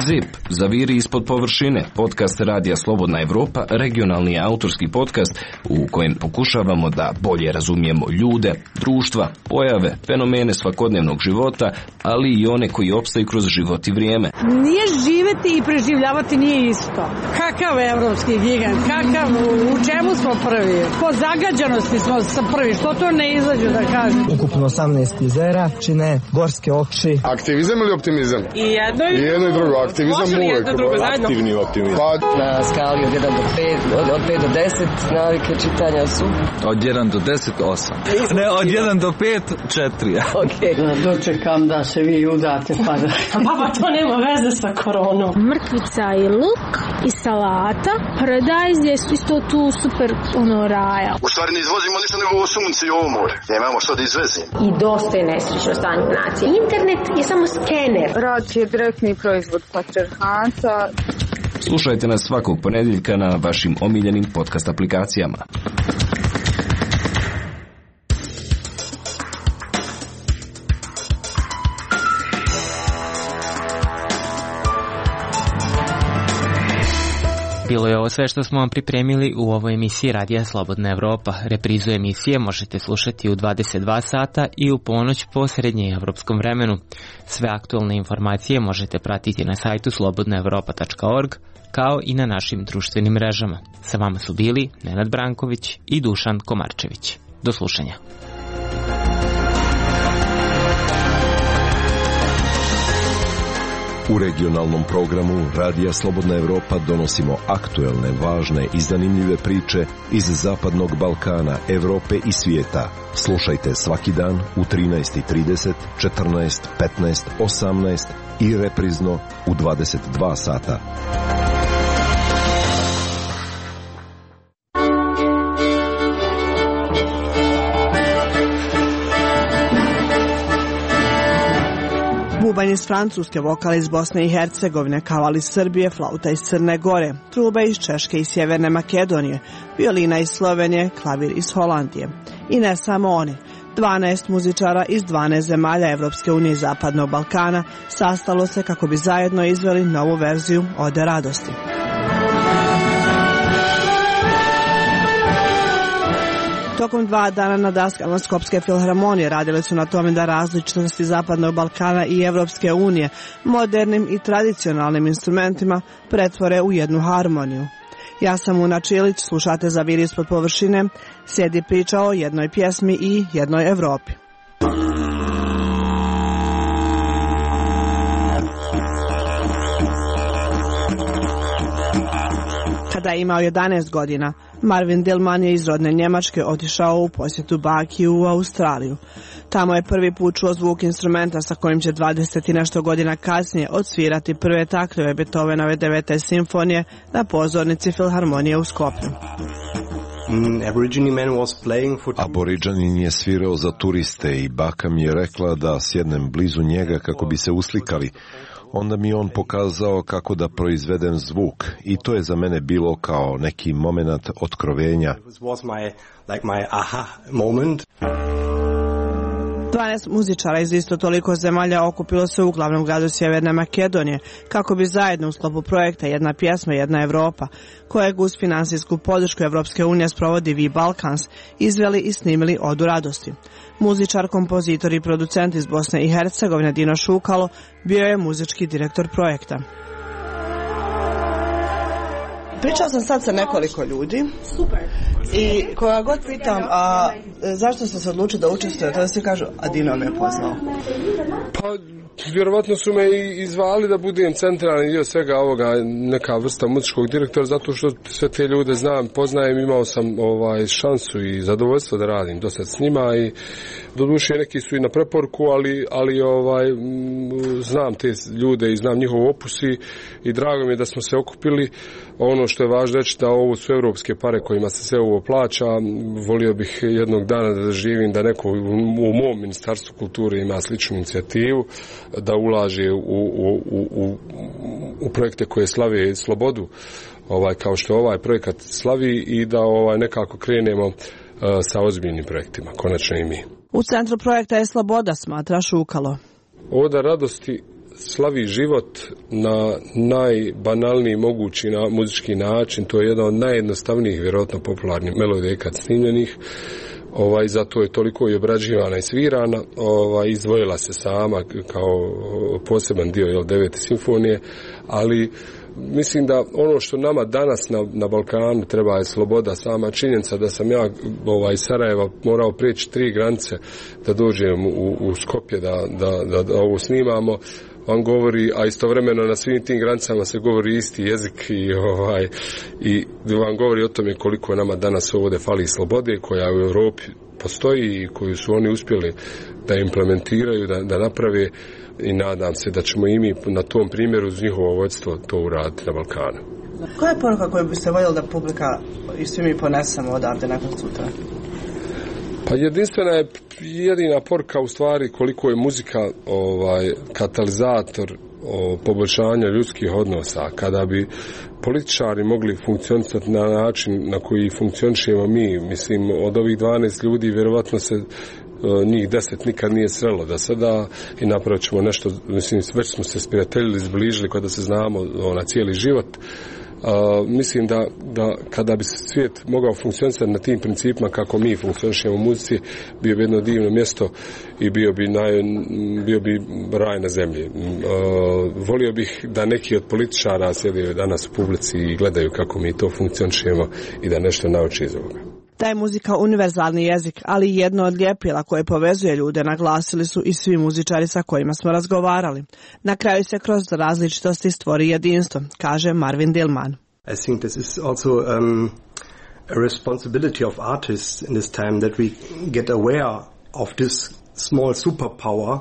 Zip, zaviri ispod površine, podcast Radija Slobodna Evropa, regionalni autorski podcast u kojem pokušavamo da bolje razumijemo ljude, društva, pojave, fenomene svakodnevnog života, ali i one koji opstaju kroz život i vrijeme. Nije živeti i preživljavati nije isto. Kakav evropski gigant, kakav, u čemu smo prvi? Po zagađanosti smo sa prvi, što to ne izađe da kažem? Ukupno osamnaest jezera, čine gorske oči. Aktivizam ili optimizam? I jedno i, I, jedno i drugo. Aktivizam uvek. Aktivni optimizam. Pa, na skali od jedan do pet, od, od pet do deset, navike čitanja su? Od jedan do deset, osam. Ne, od jedan do pet, četiri. Okej. Okay. Dočekam da se vi udate, pa da... Baba, to nema veze sa koronom. Mrkvica i luk i salata. Paradajz je isto tu super, ono, raja. U stvari ne izvozimo ništa nego ovo sunce i ovo more. Nemamo što da izvezimo. I dosta je nesrećno stanje nacije. Internet je samo skener. Rad je direktni proizvod patrijarhata. Slušajte nas svakog ponedjeljka na vašim omiljenim podcast aplikacijama. Bilo je ovo sve što smo vam pripremili u ovoj emisiji Radija Slobodna Evropa. Reprizu emisije možete slušati u dvadeset dva sata i u ponoć po srednjeevropskom vremenu. Sve aktualne informacije možete pratiti na sajtu slobodna evropa tačka org, kao i na našim društvenim mrežama. Sa vama su bili Nenad Branković i Dušan Komarčević. Do slušanja. U regionalnom programu Radija Slobodna Evropa donosimo aktuelne, važne i zanimljive priče iz Zapadnog Balkana, Evrope i svijeta. Slušajte svaki dan u trinaest i trideset, četrnaest, petnaest, osamnaest i reprizno u dvadeset dva sata. Bubanj iz Francuske, vokal iz Bosne i Hercegovine, kaval iz Srbije, flauta iz Crne Gore, truba iz Češke i Sjeverne Makedonije, violina iz Slovenije, klavir iz Holandije. I ne samo oni. dvanaest muzičara iz dvanaest zemalja Evropske unije i Zapadnog Balkana sastalo se kako bi zajedno izveli novu verziju Ode radosti. Tokom dva dana na daskama Skopske filharmonije radili su na tome da različitosti Zapadnog Balkana i Evropske unije modernim i tradicionalnim instrumentima pretvore u jednu harmoniju. Ja sam Una Čilić, slušate Zaviri ispod površine, sjedi priča o jednoj pjesmi i jednoj Evropi. Kada je imao jedanaest godina, Marvin Dillman je iz rodne Njemačke otišao u posjetu baki u Australiju. Tamo je prvi put čuo zvuk instrumenta sa kojim će dvadeset i nešto godina kasnije odsvirati prve taktove Beethovenove devete simfonije na pozornici filharmonije u Skopju. Aboriđanin je svirao za turiste i baka mi je rekla da sjednem blizu njega kako bi se uslikali. Onda mi on pokazao kako da proizvedem zvuk i to je za mene bilo kao neki moment otkrovenja. dvanaest muzičara iz isto toliko zemalja okupilo se u glavnom gradu Sjeverne Makedonije kako bi zajedno u sklopu projekta Jedna pjesma, jedna Evropa, kojeg uz finansijsku podršku Evropske unije sprovodi V Balkans, izveli i snimili Odu radosti. Muzičar, kompozitor i producent iz Bosne i Hercegovine Dino Šukalo bio je muzički direktor projekta. Pričao sam sad sa nekoliko ljudi. Super. I koga god pitam, a zašto ste se odlučili da učestvujete, tada svi kažu, a Dino me je poznao. Pa, vjerovatno su me i izvali da budem centralni dio svega ovoga, neka vrsta muzičkog direktora, zato što sve te ljude znam, poznajem, imao sam ovaj šansu i zadovoljstvo da radim dosta s njima i doduše neki su i na preporuku, ali, ali ovaj, znam te ljude i znam njihov opus i, i drago mi je da smo se okupili. Ono što je važno reći da ovo su evropske pare kojima se sve ovo plaća. Volio bih jednog dana da živim da neko u mom ministarstvu kulture ima sličnu inicijativu, da ulaže u, u, u, u projekte koje slave slobodu, ovaj, kao što ovaj projekat slavi, i da ovaj, nekako krenemo uh, sa ozbiljnim projektima, konačno i mi. U centru projekta je sloboda, smatra Šukalo. Oda radosti slavi život na najbanalniji mogući na muzički način. To je jedna od najjednostavnijih, vjerojatno popularnih melodija kad snimljenih. Ovaj, zato je toliko i obrađivana i svirana. Ovaj, izdvojila se sama kao poseban dio, jel, devete simfonije, ali mislim da ono što nama danas na, na Balkanu treba je sloboda. Sama činjenica da sam ja ovaj, iz Sarajeva morao prijeći tri granice da dođem u, u Skopje da, da, da, da ovo snimamo, vam govori, a istovremeno na svim tim granicama se govori isti jezik i, ovaj, i vam govori o tome koliko nama danas ovdje fali slobode koja u Europi postoji i koju su oni uspjeli da implementiraju, da, da naprave, i nadam se da ćemo i mi na tom primjeru uz njihovo vodstvo to uraditi na Balkanu. Koja je poruka koju biste voljeli da publika i svi mi ponesemo odavde nakon sutra? Pa jedinstvena je jedina poruka u stvari koliko je muzika ovaj katalizator o poboljšanja ljudskih odnosa. Kada bi političari mogli funkcionisati na način na koji funkcionišemo mi, mislim, od ovih dvanaest ljudi vjerovatno se njih deset nikad nije srelo da sada i napravit ćemo nešto, mislim, već smo se sprijateljili, zbližili kada se znamo na cijeli život. Uh, mislim da, da kada bi svijet mogao funkcionisati na tim principima kako mi funkcionišemo u muzici, bio bi jedno divno mjesto i bio bi, naj, bio bi raj na zemlji. Uh, volio bih da neki od političara sjedaju danas u publici i gledaju kako mi to funkcionišemo i da nešto nauči iz ovoga. Da je muzika univerzalni jezik, ali i jedno od ljepila koje povezuje ljude, naglasili su i svi muzičari sa kojima smo razgovarali. Na kraju se kroz različitosti stvori jedinstvo, kaže Marvin Dillman. I think this is also um, a responsibility of artists in this time that we get aware of this small superpower.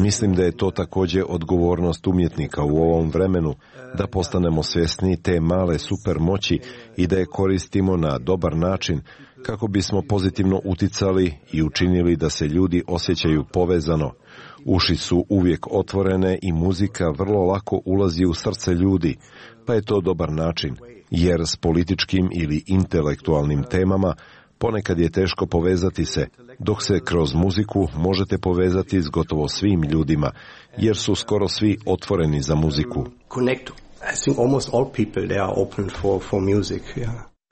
Mislim da je to također odgovornost umjetnika u ovom vremenu, da postanemo svjesni te male supermoći i da je koristimo na dobar način kako bismo pozitivno uticali i učinili da se ljudi osjećaju povezano. Uši su uvijek otvorene i muzika vrlo lako ulazi u srce ljudi, pa je to dobar način, jer s političkim ili intelektualnim temama ponekad je teško povezati se, dok se kroz muziku možete povezati s gotovo svim ljudima, jer su skoro svi otvoreni za muziku.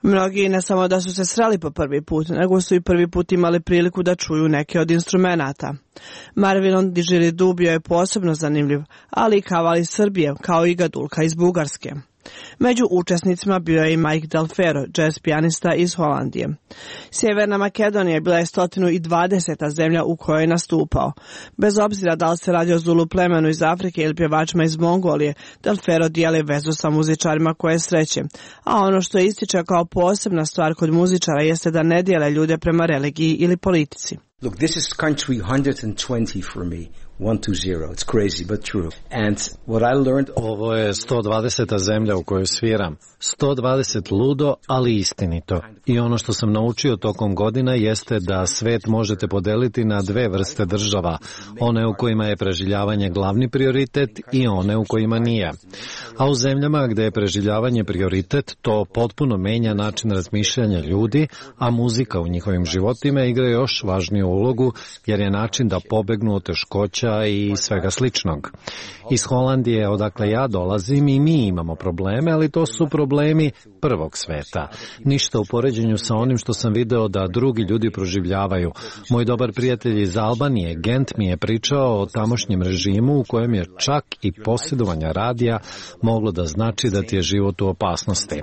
Mnogi ne samo da su se sreli po prvi put, nego su i prvi put imali priliku da čuju neke od instrumenata. Marvinon Didgeridoo bio je posebno zanimljiv, ali i kaval iz Srbije, kao i gadulka iz Bugarske. Među učesnicima bio je i Mike Del Ferro, jazz pijanista iz Holandije. Sjeverna Makedonija bila je sto dvadeseta zemlja u kojoj je nastupao. Bez obzira da li se radi o Zulu plemenu iz Afrike ili pjevačima iz Mongolije, Del Ferro dijeli vezu sa muzičarima koje sreće. A ono što ističe kao posebna stvar kod muzičara jeste da ne dijele ljude prema religiji ili politici. Look, this is country one hundred twenty for me. one two zero. It's crazy, but true. And what I learned... Ovo je sto dvadeseta zemlja u kojoj sviram. sto dvadeset ludo, ali istinito. I ono što sam naučio tokom godina jeste da svet možete podeliti na dve vrste država. One u kojima je preživljavanje glavni prioritet i one u kojima nije. A u zemljama gde je preživljavanje prioritet, to potpuno menja način razmišljanja ljudi, a muzika u njihovim životima igra još važniju ulogu, jer je način da pobegnu od teškoća i svega sličnog. Iz Holandije, odakle ja dolazim, i mi imamo probleme, ali to su problemi prvog sveta. Ništa u poređenju sa onim što sam video da drugi ljudi proživljavaju. Moj dobar prijatelj iz Albanije, Gent, mi je pričao o tamošnjem režimu u kojem je čak i posjedovanje radija moglo da znači da ti je život u opasnosti.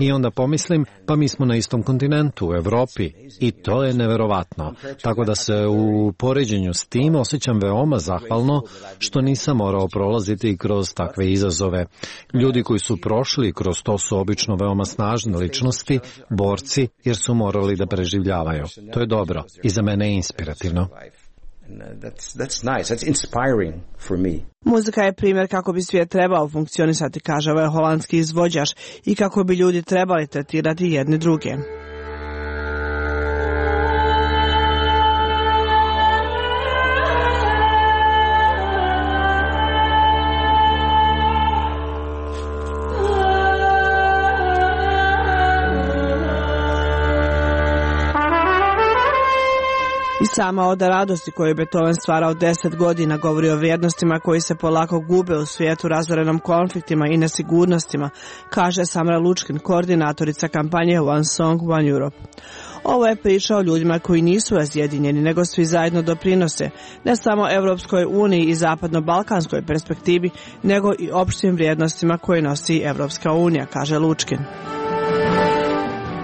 I onda pomislim, pa mi smo na istom kontinentu, u Evropi, i to je neverovatno. Tako da se u poređenju s tim osjećam veoma zahvalno što nisam morao prolaziti kroz takve izazove. Ljudi koji su prošli kroz to su obično veoma snažne ličnosti, borci, jer su morali da preživljavaju. To je dobro i za mene je inspirativno. That's, that's nice. That's inspiring for me. Muzika je primjer kako bi svijet trebao funkcionisati, kaže ovaj holandski izvođač, i kako bi ljudi trebali tretirati jedni druge. I sama oda radosti koju je Beethoven stvarao deset godina govori o vrijednostima koji se polako gube u svijetu razorenom konfliktima i nesigurnostima, kaže Samra Lučkin, koordinatorica kampanje One Song, One Europe. Ovo je priča o ljudima koji nisu razjedinjeni, nego svi zajedno doprinose, ne samo Evropskoj uniji i zapadno-balkanskoj perspektivi, nego i opštim vrijednostima koje nosi Evropska unija, kaže Lučkin.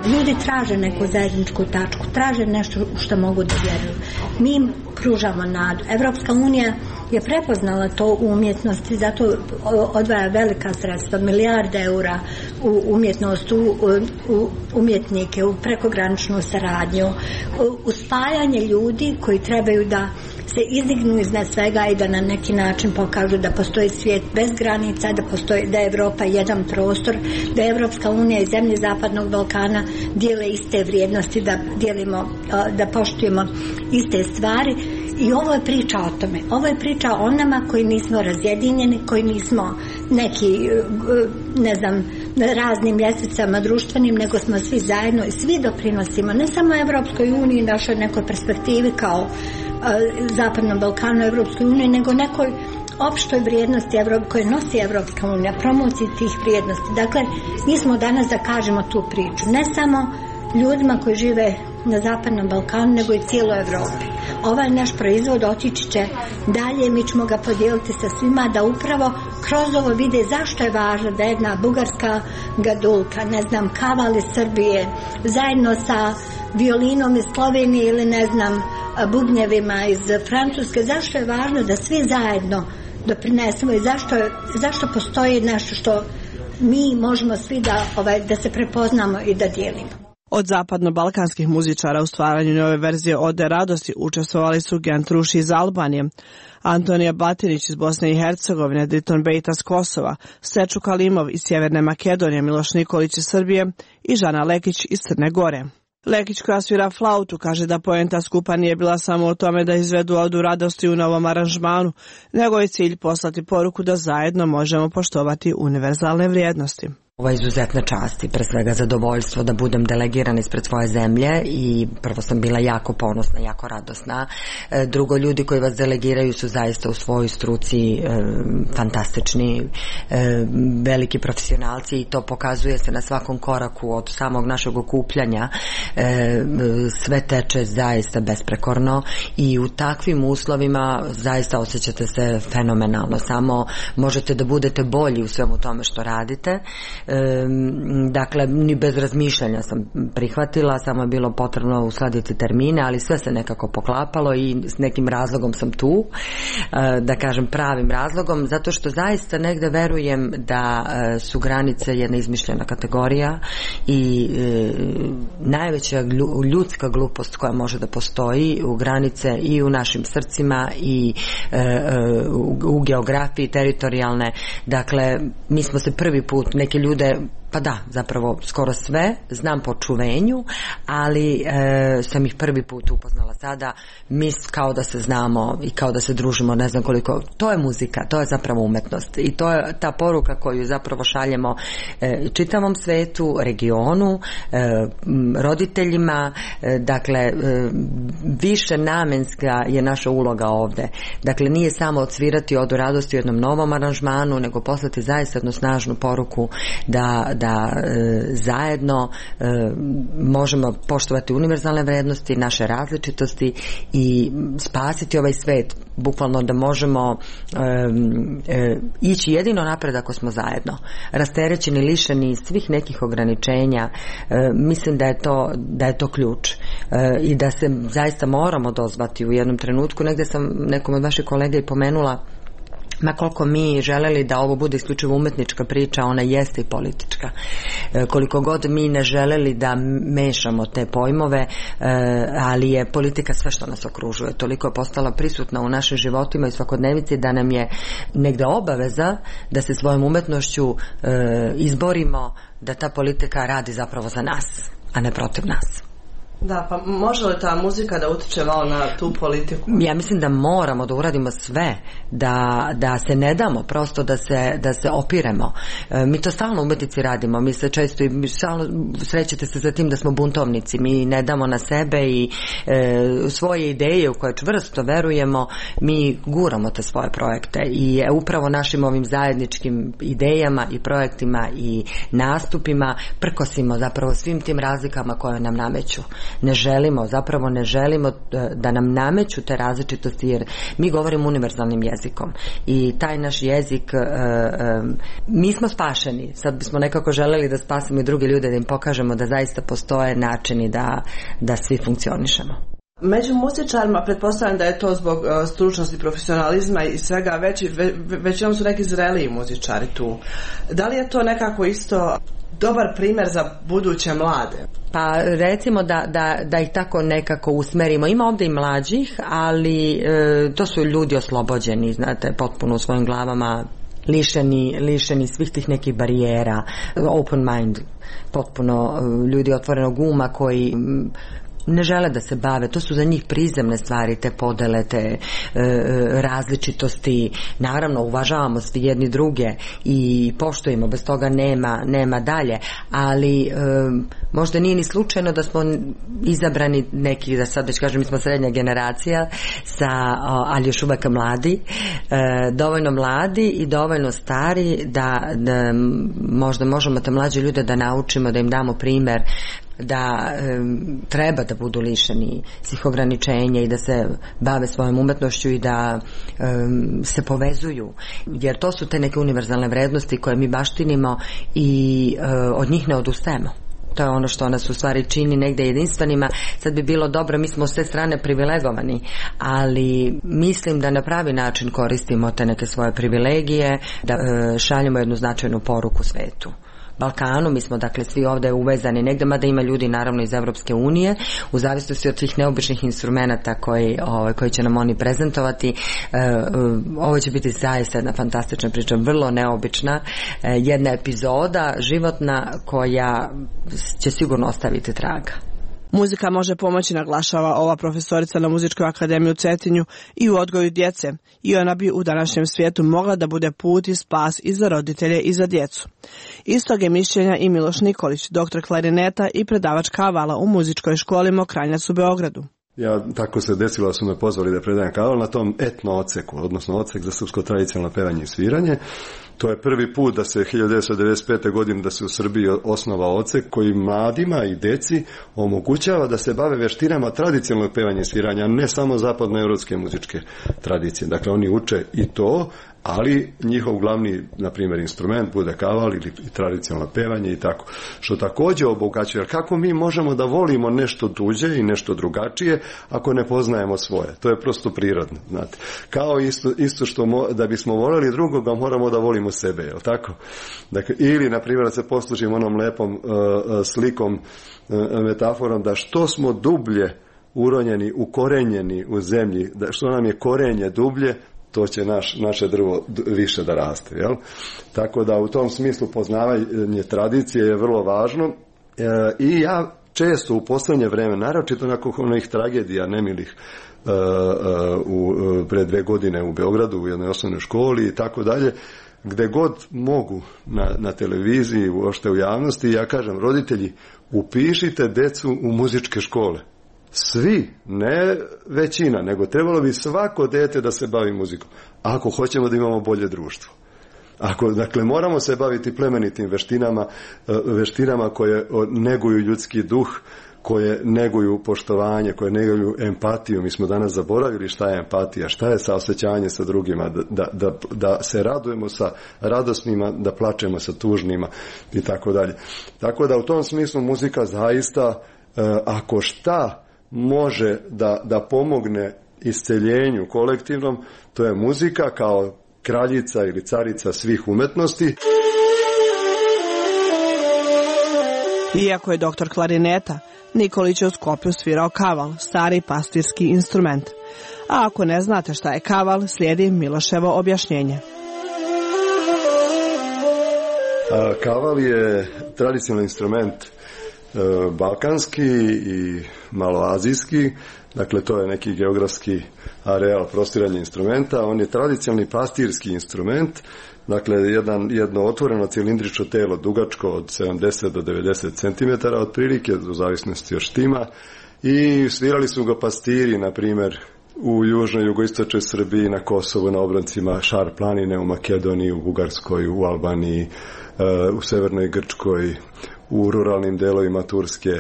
Ljudi traže neku zajedničku tačku, traže nešto u što mogu da vjeruju. Mi im pružamo nadu. Evropska unija je prepoznala to u umjetnosti, zato odvaja velika sredstva, milijarde eura u umjetnost, u, u umjetnike, u prekograničnu saradnju, u spajanje ljudi koji trebaju da se izdignu iznad svega i da na neki način pokažu da postoji svijet bez granica, da postoji, da je Evropa jedan prostor, da je Evropska unija i zemlje Zapadnog Balkana dijele iste vrijednosti, da dijelimo, da poštujemo iste stvari. I ovo je priča o tome. Ovo je priča o nama koji nismo razjedinjeni, koji nismo neki, ne znam, raznim ljestvicama društvenim, nego smo svi zajedno i svi doprinosimo ne samo Evropskoj uniji, našoj nekoj perspektivi kao Zapadnom Balkanu, Evropskoj uniji, nego nekoj opštoj vrijednosti koje nosi Evropska unija, promociji tih vrijednosti. Dakle, mi smo danas da kažemo tu priču, ne samo ljudima koji žive na Zapadnom Balkanu, nego i cijeloj Evropi. Ovaj naš proizvod otići će dalje, mi ćemo ga podijeliti sa svima, da upravo kroz ovo vide zašto je važno da jedna bugarska gadulka, ne znam, kaval iz Srbije, zajedno sa violinom iz Slovenije ili ne znam, bubnjevima iz Francuske, zašto je važno da svi zajedno doprinesemo i zašto, zašto postoji nešto što mi možemo svi da, ovaj, da se prepoznamo i da dijelimo. Od zapadno-balkanskih muzičara u stvaranju nove verzije Ode radosti učestvovali su Gent Ruši iz Albanije, Antonija Batinić iz Bosne i Hercegovine, Driton Bejta s Kosova, Seču Kalimov iz Sjeverne Makedonije, Miloš Nikolić iz Srbije i Žana Lekić iz Crne Gore. Lekić, koja svira flautu, kaže da poenta skupa nije bila samo o tome da izvedu Odu radosti u novom aranžmanu, nego je cilj poslati poruku da zajedno možemo poštovati univerzalne vrijednosti. Ovo je izuzetna čast i pre svega zadovoljstvo da budem delegiran ispred svoje zemlje i prvo sam bila jako ponosna, jako radosna. Drugo, ljudi koji vas delegiraju su zaista u svojoj struci e, fantastični, e, veliki profesionalci i to pokazuje se na svakom koraku od samog našeg okupljanja. E, sve teče zaista besprekorno i u takvim uslovima zaista osjećate se fenomenalno. Samo možete da budete bolji u svemu tome što radite. Dakle, ni bez razmišljanja sam prihvatila, samo je bilo potrebno uskladiti termine, ali sve se nekako poklapalo i s nekim razlogom sam tu, da kažem pravim razlogom, zato što zaista negde verujem da su granice jedna izmišljena kategorija i najveća ljudska glupost koja može da postoji u granice i u našim srcima i u geografiji teritorijalne. Dakle, mi smo se prvi put, neke ljude pa da, zapravo skoro sve znam po čuvenju, ali e, sam ih prvi put upoznala sada, mi kao da se znamo i kao da se družimo, ne znam koliko, to je muzika, to je zapravo umetnost i to je ta poruka koju zapravo šaljemo e, čitavom svetu, regionu, e, roditeljima, e, dakle e, više namenska je naša uloga ovde, dakle nije samo odsvirati Odu radosti u jednom novom aranžmanu, nego poslati zaista jednu snažnu poruku da, da e, zajedno e, možemo poštovati univerzalne vrednosti, naše različitosti i spasiti ovaj svet, bukvalno da možemo e, e, ići jedino napred ako smo zajedno, rasterećeni, lišeni svih nekih ograničenja. E, mislim da je to, da je to ključ e, i da se zaista moramo dozvati u jednom trenutku. Negde sam nekom od vaših kolega i pomenula, ma koliko mi želeli da ovo bude isključivo umetnička priča, ona jeste i politička. E, koliko god mi ne želeli da mešamo te pojmove, e, ali je politika sve što nas okružuje. Toliko je postala prisutna u našim životima i svakodnevici da nam je negde obaveza da se svojom umetnošću e, izborimo da ta politika radi zapravo za nas, a ne protiv nas. Da, pa može li ta muzika da utiče malo na tu politiku? Ja mislim da moramo da uradimo sve, da, da se ne damo, prosto da se, da se opiremo. E, mi to stalno u umetnici radimo, mi se često i stalno srećete se za tim da smo buntovnici, mi ne damo na sebe i e, svoje ideje u koje čvrsto verujemo, mi guramo te svoje projekte i e, upravo našim ovim zajedničkim idejama i projektima i nastupima prkosimo zapravo svim tim razlikama koje nam nameću. Ne želimo, zapravo ne želimo da nam nameću te različitosti, jer mi govorimo univerzalnim jezikom i taj naš jezik, e, e, mi smo spašeni, sad bismo nekako želeli da spasimo i druge ljude, da im pokažemo da zaista postoje načini da, da svi funkcionišemo. Među muzičarima pretpostavljam da je to zbog uh, stručnosti, profesionalizma i svega, već, ve, većinom su neki zreliji muzičari tu. Da li je to nekako isto dobar primjer za buduće mlade? Pa recimo da, da, da ih tako nekako usmerimo. Ima ovdje i mlađih, ali e, to su ljudi oslobođeni, znate, potpuno u svojim glavama, lišeni, lišeni svih tih nekih barijera, open mind, potpuno ljudi otvorenog uma koji ne žele da se bave, to su za njih prizemne stvari, te podele, te e, različitosti. Naravno, uvažavamo svi jedni druge i poštujemo, bez toga nema, nema dalje, ali e, možda nije ni slučajno da smo izabrani neki, da sad već kažem, mi smo srednja generacija, sa, ali još uvek mladi, e, dovoljno mladi i dovoljno stari da, da možda možemo te mlađe ljude da naučimo, da im damo primer da e, treba da budu lišeni svih ograničenja i da se bave svojom umetnošću i da e, se povezuju, jer to su te neke univerzalne vrednosti koje mi baštinimo i e, od njih ne odustajemo. To je ono što nas u stvari čini negde jedinstvenima. Sad bi bilo dobro, mi smo s te strane privilegovani, ali mislim da na pravi način koristimo te neke svoje privilegije, da e, šaljemo jednu značajnu poruku svetu. Balkanu, mi smo dakle svi ovde uvezani negde, mada ima ljudi naravno iz Evropske unije, u zavisnosti od svih neobičnih instrumenta koji, ovaj, koji će nam oni prezentovati. E, ovo će biti zaista jedna fantastična priča, vrlo neobična, e, jedna epizoda životna koja će sigurno ostaviti traga. Muzika može pomoći, naglašava ova profesorica na Muzičkoj akademiji u Cetinju, i u odgoju djece, i ona bi u današnjem svijetu mogla da bude put i spas i za roditelje i za djecu. Istog je mišljenja i Miloš Nikolić, doktor klarineta i predavač kavala u muzičkoj školi Mokranjac u Beogradu. Ja, tako se desilo da su me pozvali da predajem kaval na tom etno oceku, odnosno ocek za srpsko tradicionalno pevanje i sviranje. To je prvi put da se hiljadu devetsto devedeset pete. godine da se u Srbiji osnova ocek koji mladima i deci omogućava da se bave veštinama tradicionalnog pevanja i sviranja, a ne samo zapadnoevropske muzičke tradicije. Dakle, oni uče i to, ali njihov glavni, na primjer, instrument bude kaval ili tradicionalno pevanje i tako. Što također obogaćuje, jer kako mi možemo da volimo nešto tuđe i nešto drugačije ako ne poznajemo svoje? To je prosto prirodno, znate. Kao isto, isto što mo, da bismo voljeli drugoga, moramo da volimo sebe, je li tako? Dakle, ili, na primjer, da se poslužimo onom lepom uh, slikom, uh, metaforom, da što smo dublje uronjeni, ukorenjeni u zemlji, da što nam je korenje dublje, to će naš, naše drvo više da raste. Jel? Tako da u tom smislu poznavanje tradicije je vrlo važno. E, i ja često u posljednje vreme, naročito nakon onih tragedija nemilih e, e, u, pre dve godine u Beogradu u jednoj osnovnoj školi i tako dalje, gde god mogu na, na televiziji, uopšte u javnosti, ja kažem, roditelji, upišite decu u muzičke škole. Svi, ne većina, nego trebalo bi svako dete da se bavi muzikom, ako hoćemo da imamo bolje društvo. Ako, dakle, moramo se baviti plemenitim veštinama, veštinama koje neguju ljudski duh, koje neguju poštovanje, koje neguju empatiju. Mi smo danas zaboravili šta je empatija, šta je saosećanje sa drugima, da, da, da se radujemo sa radosnima, da plačemo sa tužnima i tako dalje. Tako da u tom smislu muzika zaista, ako šta može da, da pomogne isceljenju kolektivnom, to je muzika kao kraljica ili carica svih umetnosti. Iako je doktor klarineta, Nikolić je u Skoplju svirao kaval, stari pastirski instrument. A ako ne znate šta je kaval, slijedi Miloševo objašnjenje. A, kaval je tradicionalni instrument balkanski i maloazijski, dakle to je neki geografski areal prostiranja instrumenta. On je tradicionalni pastirski instrument, dakle jedan, jedno otvoreno cilindrično telo dugačko od sedamdeset do devedeset centimetara otprilike, u zavisnosti od štima, i svirali su ga pastiri, na primjer, u južnoj, jugoistočnoj Srbiji, na Kosovu, na obroncima Šar planine, u Makedoniji, u Bugarskoj, u Albaniji, u severnoj Grčkoj, u ruralnim delovima Turske.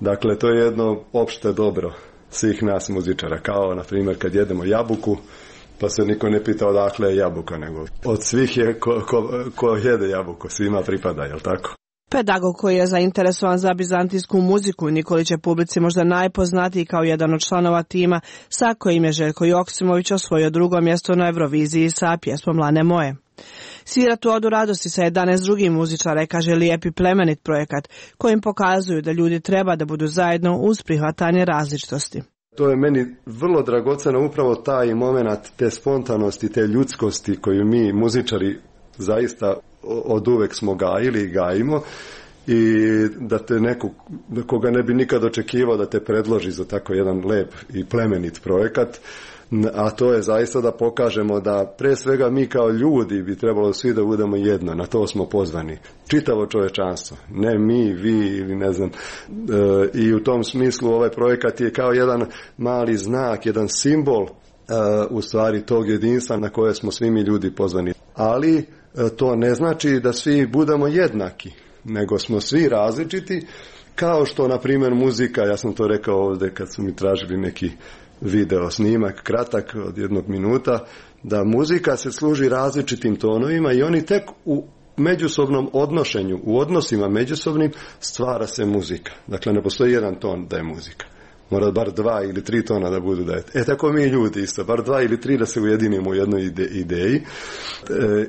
Dakle, to je jedno opšte dobro svih nas muzičara. Kao, na primjer, kad jedemo jabuku, pa se niko ne pita odakle je jabuka, nego od svih je ko, ko, ko jede jabuku, svima pripada, jel tako? Pedagog koji je zainteresovan za bizantijsku muziku, Nikolić je publici možda najpoznatiji kao jedan od članova tima sa kojim je Željko Joksimović osvojio drugo mjesto na Euroviziji sa pjesmom Lane moje. Svira tu odu radosti sa jedanaest drugih muzičara, kaže lijep i plemenit projekat kojim pokazuju da ljudi treba da budu zajedno uz prihvatanje različitosti. To je meni vrlo dragoceno, upravo taj moment te spontanosti, te ljudskosti koju mi muzičari zaista od uvek smo gajili i gajimo, i da te neko, koga ne bi nikad očekivao da te predloži za tako jedan lep i plemenit projekat, a to je zaista da pokažemo da pre svega mi kao ljudi bi trebalo svi da budemo jedno, na to smo pozvani. Čitavo čovečanstvo, ne mi, vi ili ne znam. E, I u tom smislu ovaj projekat je kao jedan mali znak, jedan simbol e, u stvari tog jedinstva na koje smo svi mi ljudi pozvani. Ali e, to ne znači da svi budemo jednaki, nego smo svi različiti, kao što na primjer muzika, ja sam to rekao ovdje kad su mi tražili neki video snimak, kratak od jednog minuta, da muzika se služi različitim tonovima i oni tek u međusobnom odnošenju, u odnosima međusobnim stvara se muzika. Dakle, ne postoji jedan ton da je muzika. Mora bar dva ili tri tona da budu da je. E tako mi ljudi isto, bar dva ili tri da se ujedinimo u jednoj ide, ideji. E,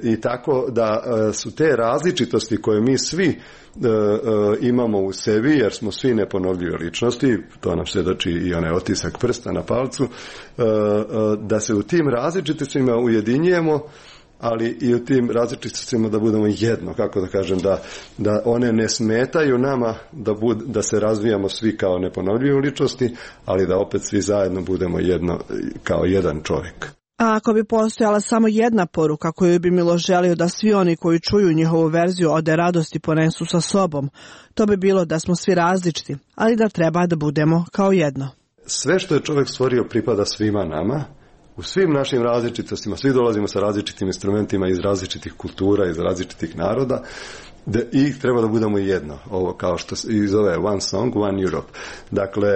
I tako da e, su te različitosti koje mi svi e, e, imamo u sebi, jer smo svi neponovljive ličnosti, to nam svjedoči i onaj otisak prsta na palcu, e, e, da se u tim različitostima ujedinjujemo, ali i u tim različitostima da budemo jedno, kako da kažem, da, da one ne smetaju nama da, bud, da se razvijamo svi kao neponovljive ličnosti, ali da opet svi zajedno budemo jedno, kao jedan čovjek. A ako bi postojala samo jedna poruka koju bi Milo želio da svi oni koji čuju njihovu verziju Ode radosti ponesu sa sobom, to bi bilo da smo svi različiti, ali da treba da budemo kao jedno. Sve što je čovjek stvorio pripada svima nama, u svim našim različitostima, svi dolazimo sa različitim instrumentima iz različitih kultura, iz različitih naroda, da i treba da budemo jedno, ovo kao što se i zove One Song, One Europe. Dakle,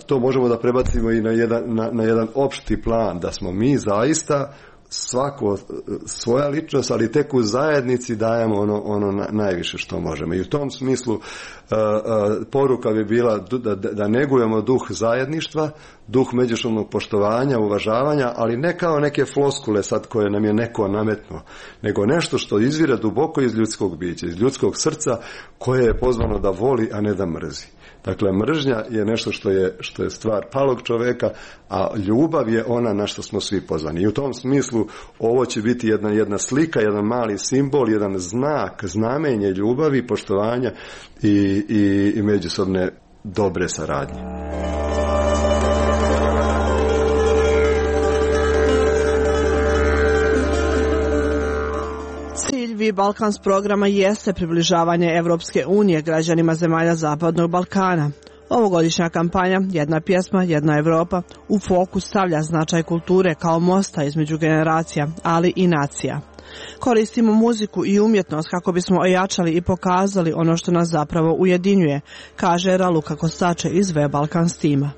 to možemo da prebacimo i na jedan, na, na jedan opšti plan, da smo mi zaista svako svoja ličnost, ali tek u zajednici dajemo ono, ono najviše što možemo. I u tom smislu uh, uh, poruka bi bila da, da negujemo duh zajedništva, duh međusobnog poštovanja, uvažavanja, ali ne kao neke floskule sad koje nam je neko nametnuo, nego nešto što izvire duboko iz ljudskog bića, iz ljudskog srca koje je pozvano da voli, a ne da mrzi. Dakle, mržnja je nešto što je, što je stvar palog čoveka, a ljubav je ona na što smo svi pozvani. I u tom smislu ovo će biti jedna, jedna slika, jedan mali simbol, jedan znak, znamenje ljubavi, poštovanja i, i, i međusobne dobre saradnje. Cilj Balkans programa jeste približavanje Evropske unije građanima zemalja Zapadnog Balkana. Ovogodišnja kampanja Jedna pjesma, jedna Evropa u fokus stavlja značaj kulture kao mosta između generacija, ali i nacija. Koristimo muziku i umjetnost kako bismo ojačali i pokazali ono što nas zapravo ujedinjuje, kaže Raluka Kostače iz We Balkans tima.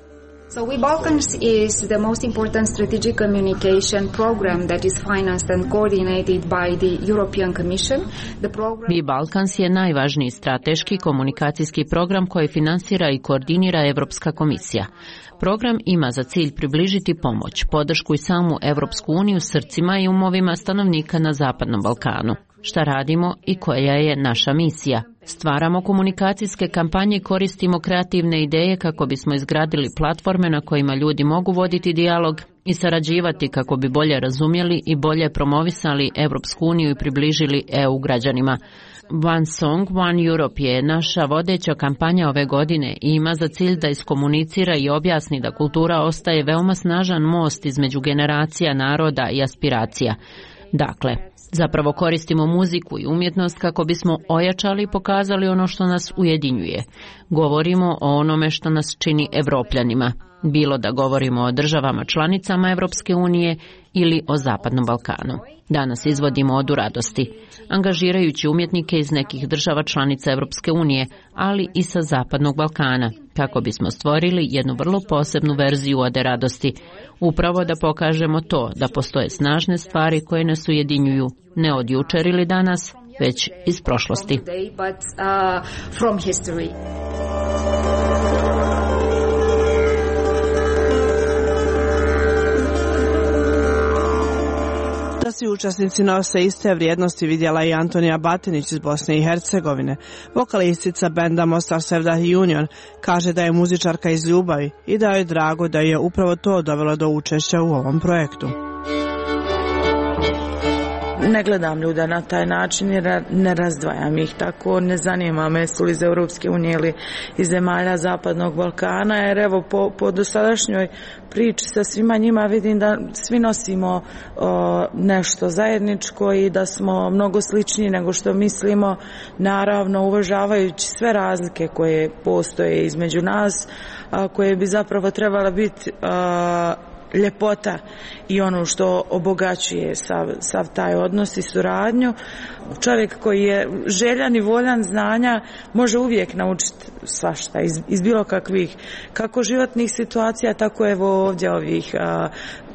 So We Balkans is the most important strategic communication program that is financed and coordinated by the European Commission. The program... We Balkans je najvažniji strateški komunikacijski program koji finansira i koordinira Evropska komisija. Program ima za cilj približiti pomoć, podršku i samu Evropsku uniju srcima i umovima stanovnika na Zapadnom Balkanu. Šta radimo i koja je naša misija? Stvaramo komunikacijske kampanje i koristimo kreativne ideje kako bismo izgradili platforme na kojima ljudi mogu voditi dijalog i sarađivati kako bi bolje razumjeli i bolje promovisali Evropsku uniju i približili E U građanima. One Song, One Europe je naša vodeća kampanja ove godine i ima za cilj da iskomunicira i objasni da kultura ostaje veoma snažan most između generacija, naroda i aspiracija. Dakle, zapravo koristimo muziku i umjetnost kako bismo ojačali i pokazali ono što nas ujedinjuje. Govorimo o onome što nas čini Evropljanima, bilo da govorimo o državama članicama Evropske unije ili o Zapadnom Balkanu. Danas izvodimo Odu radosti, angažirajući umjetnike iz nekih država članica Evropske unije, ali i sa Zapadnog Balkana, kako bismo stvorili jednu vrlo posebnu verziju Ode radosti, upravo da pokažemo to da postoje snažne stvari koje nas ujedinjuju, ne od jučer ili danas, već iz prošlosti. Da svi učesnici nose iste vrijednosti vidjela i Antonija Batinić iz Bosne i Hercegovine. Vokalistica benda Mostar Sevdah Union kaže da je muzičarka iz ljubavi i da je drago da je upravo to dovelo do učešća u ovom projektu. ne gledam ljude na taj način jer ne razdvajam ih tako, ne zanima me su li iz Europske unije ili iz zemalja Zapadnog Balkana, jer evo po, po dosadašnjoj priči sa svima njima vidim da svi nosimo o, nešto zajedničko i da smo mnogo sličniji nego što mislimo, naravno uvažavajući sve razlike koje postoje između nas, a, koje bi zapravo trebala biti a, ljepota i ono što obogaćuje sav, sav taj odnos i suradnju. Čovjek koji je željan i voljan znanja može uvijek naučiti svašta iz, iz bilo kakvih kako životnih situacija, tako evo ovdje ovih a,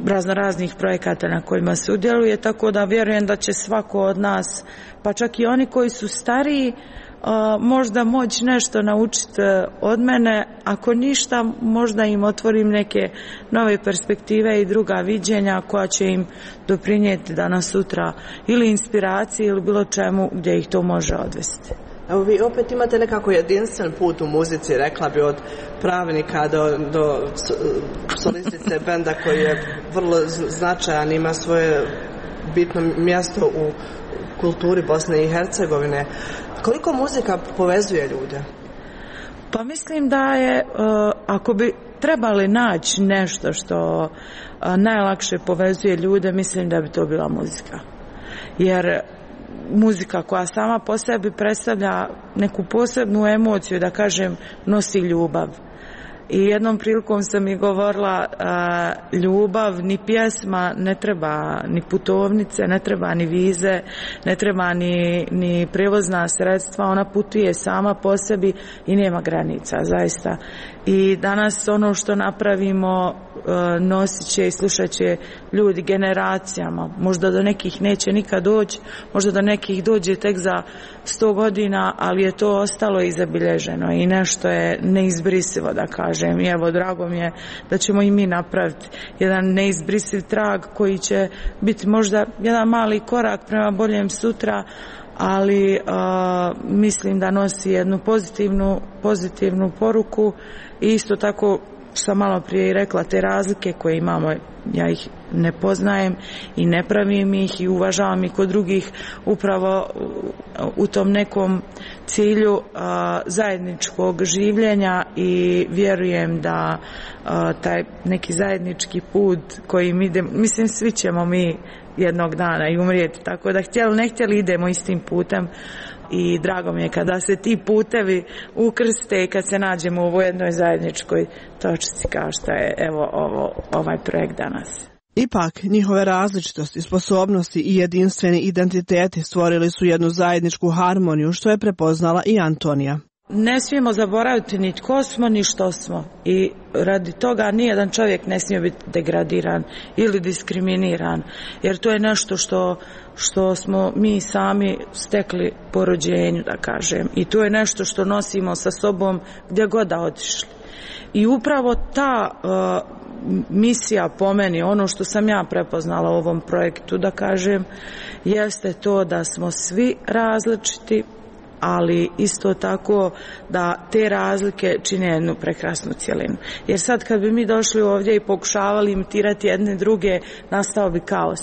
razno raznih projekata na kojima se udjeluje, tako da vjerujem da će svako od nas, pa čak i oni koji su stariji, Uh, možda moći nešto naučiti uh, od mene, ako ništa možda im otvorim neke nove perspektive i druga viđenja koja će im doprinijeti danas sutra ili inspiraciji ili bilo čemu gdje ih to može odvesti. Evo vi opet imate nekako jedinstven put u muzici, rekla bi od pravnika do, do solistice benda koji je vrlo značajan, ima svoje bitno mjesto u kulturi Bosne i Hercegovine. Koliko muzika povezuje ljude? Pa mislim da je, ako bi trebali naći nešto što najlakše povezuje ljude, mislim da bi to bila muzika. Jer muzika koja sama po sebi predstavlja neku posebnu emociju, da kažem, nosi ljubav. I jednom prilikom sam i govorila, a, ljubav, ni pjesma, ne treba ni putovnice, ne treba ni vize, ne treba ni, ni prevozna sredstva, ona putuje sama po sebi i nema granica, zaista. I danas ono što napravimo a, nosit će i slušat će ljudi generacijama, možda do nekih neće nikad doći, možda do nekih dođe tek za sto godina, ali je to ostalo i zabilježeno i nešto je neizbrisivo, da kažem. I evo, drago mi je da ćemo i mi napraviti jedan neizbrisiv trag koji će biti možda jedan mali korak prema boljem sutra, ali a, mislim da nosi jednu pozitivnu, pozitivnu poruku i isto tako sam malo prije i rekla, te razlike koje imamo, ja ih ne poznajem i ne pravim ih i uvažavam ih kod drugih upravo u tom nekom cilju a, zajedničkog življenja i vjerujem da a, taj neki zajednički put koji mi idemo, mislim svi ćemo mi jednog dana i umrijeti, tako da htjeli ne htjeli idemo istim putem i drago mi je kada se ti putevi ukrste i kad se nađemo u ovoj jednoj zajedničkoj točci kao što je evo ovo, ovaj projekt danas. Ipak, njihove različitosti, sposobnosti i jedinstveni identiteti stvorili su jednu zajedničku harmoniju, što je prepoznala i Antonija. Ne smijemo zaboraviti ni tko smo, ni što smo. I radi toga nijedan čovjek ne smije biti degradiran ili diskriminiran, jer to je nešto što, što smo mi sami stekli po rođenju, da kažem. I to je nešto što nosimo sa sobom gdje god da otišli. I upravo ta uh, misija po meni, ono što sam ja prepoznala u ovom projektu, da kažem, jeste to da smo svi različiti, ali isto tako da te razlike čine jednu prekrasnu cjelinu. Jer sad kad bi mi došli ovdje i pokušavali imitirati jedne druge, nastao bi kaos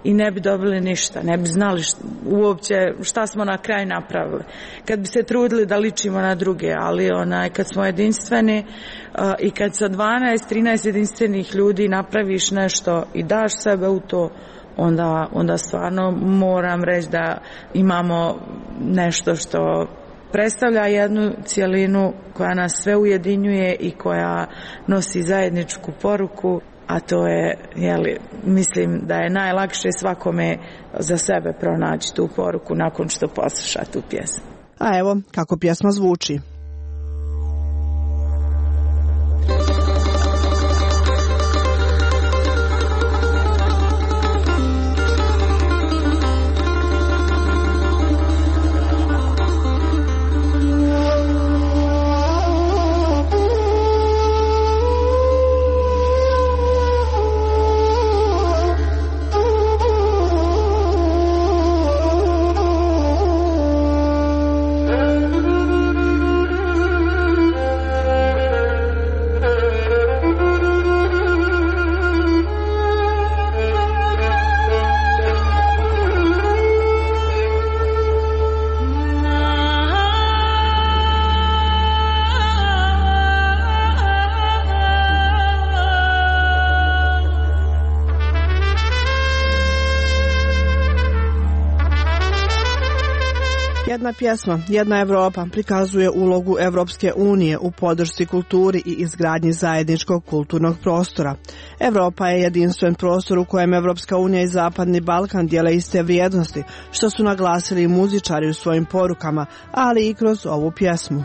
i ne bi dobili ništa, ne bi znali šta, uopće šta smo na kraju napravili. Kad bi se trudili da ličimo na druge, ali onaj, kad smo jedinstveni uh, i kad sa dvanaest trinaest jedinstvenih ljudi napraviš nešto i daš sebe u to, onda, onda stvarno moram reći da imamo nešto što predstavlja jednu cjelinu koja nas sve ujedinjuje i koja nosi zajedničku poruku, a to je, jeli, mislim da je najlakše svakome za sebe pronaći tu poruku nakon što posluša tu pjesmu. A evo kako pjesma zvuči. Narodna pjesma Jedna Evropa prikazuje ulogu Evropske unije u podršci kulturi i izgradnji zajedničkog kulturnog prostora. Evropa je jedinstven prostor u kojem Evropska unija i Zapadni Balkan dijele iste vrijednosti, što su naglasili i muzičari u svojim porukama, ali i kroz ovu pjesmu.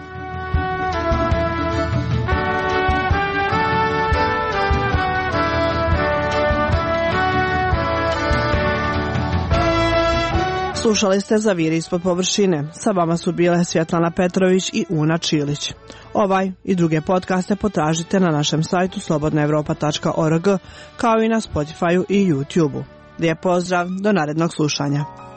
Slušali ste Zaviri ispod površine. Sa vama su bile Svjetlana Petrović i Una Čilić. Ovaj i druge podcaste potražite na našem sajtu slobodna evropa tačka org, kao i na Spotifyu i YouTubeu. Lijep pozdrav, do narednog slušanja.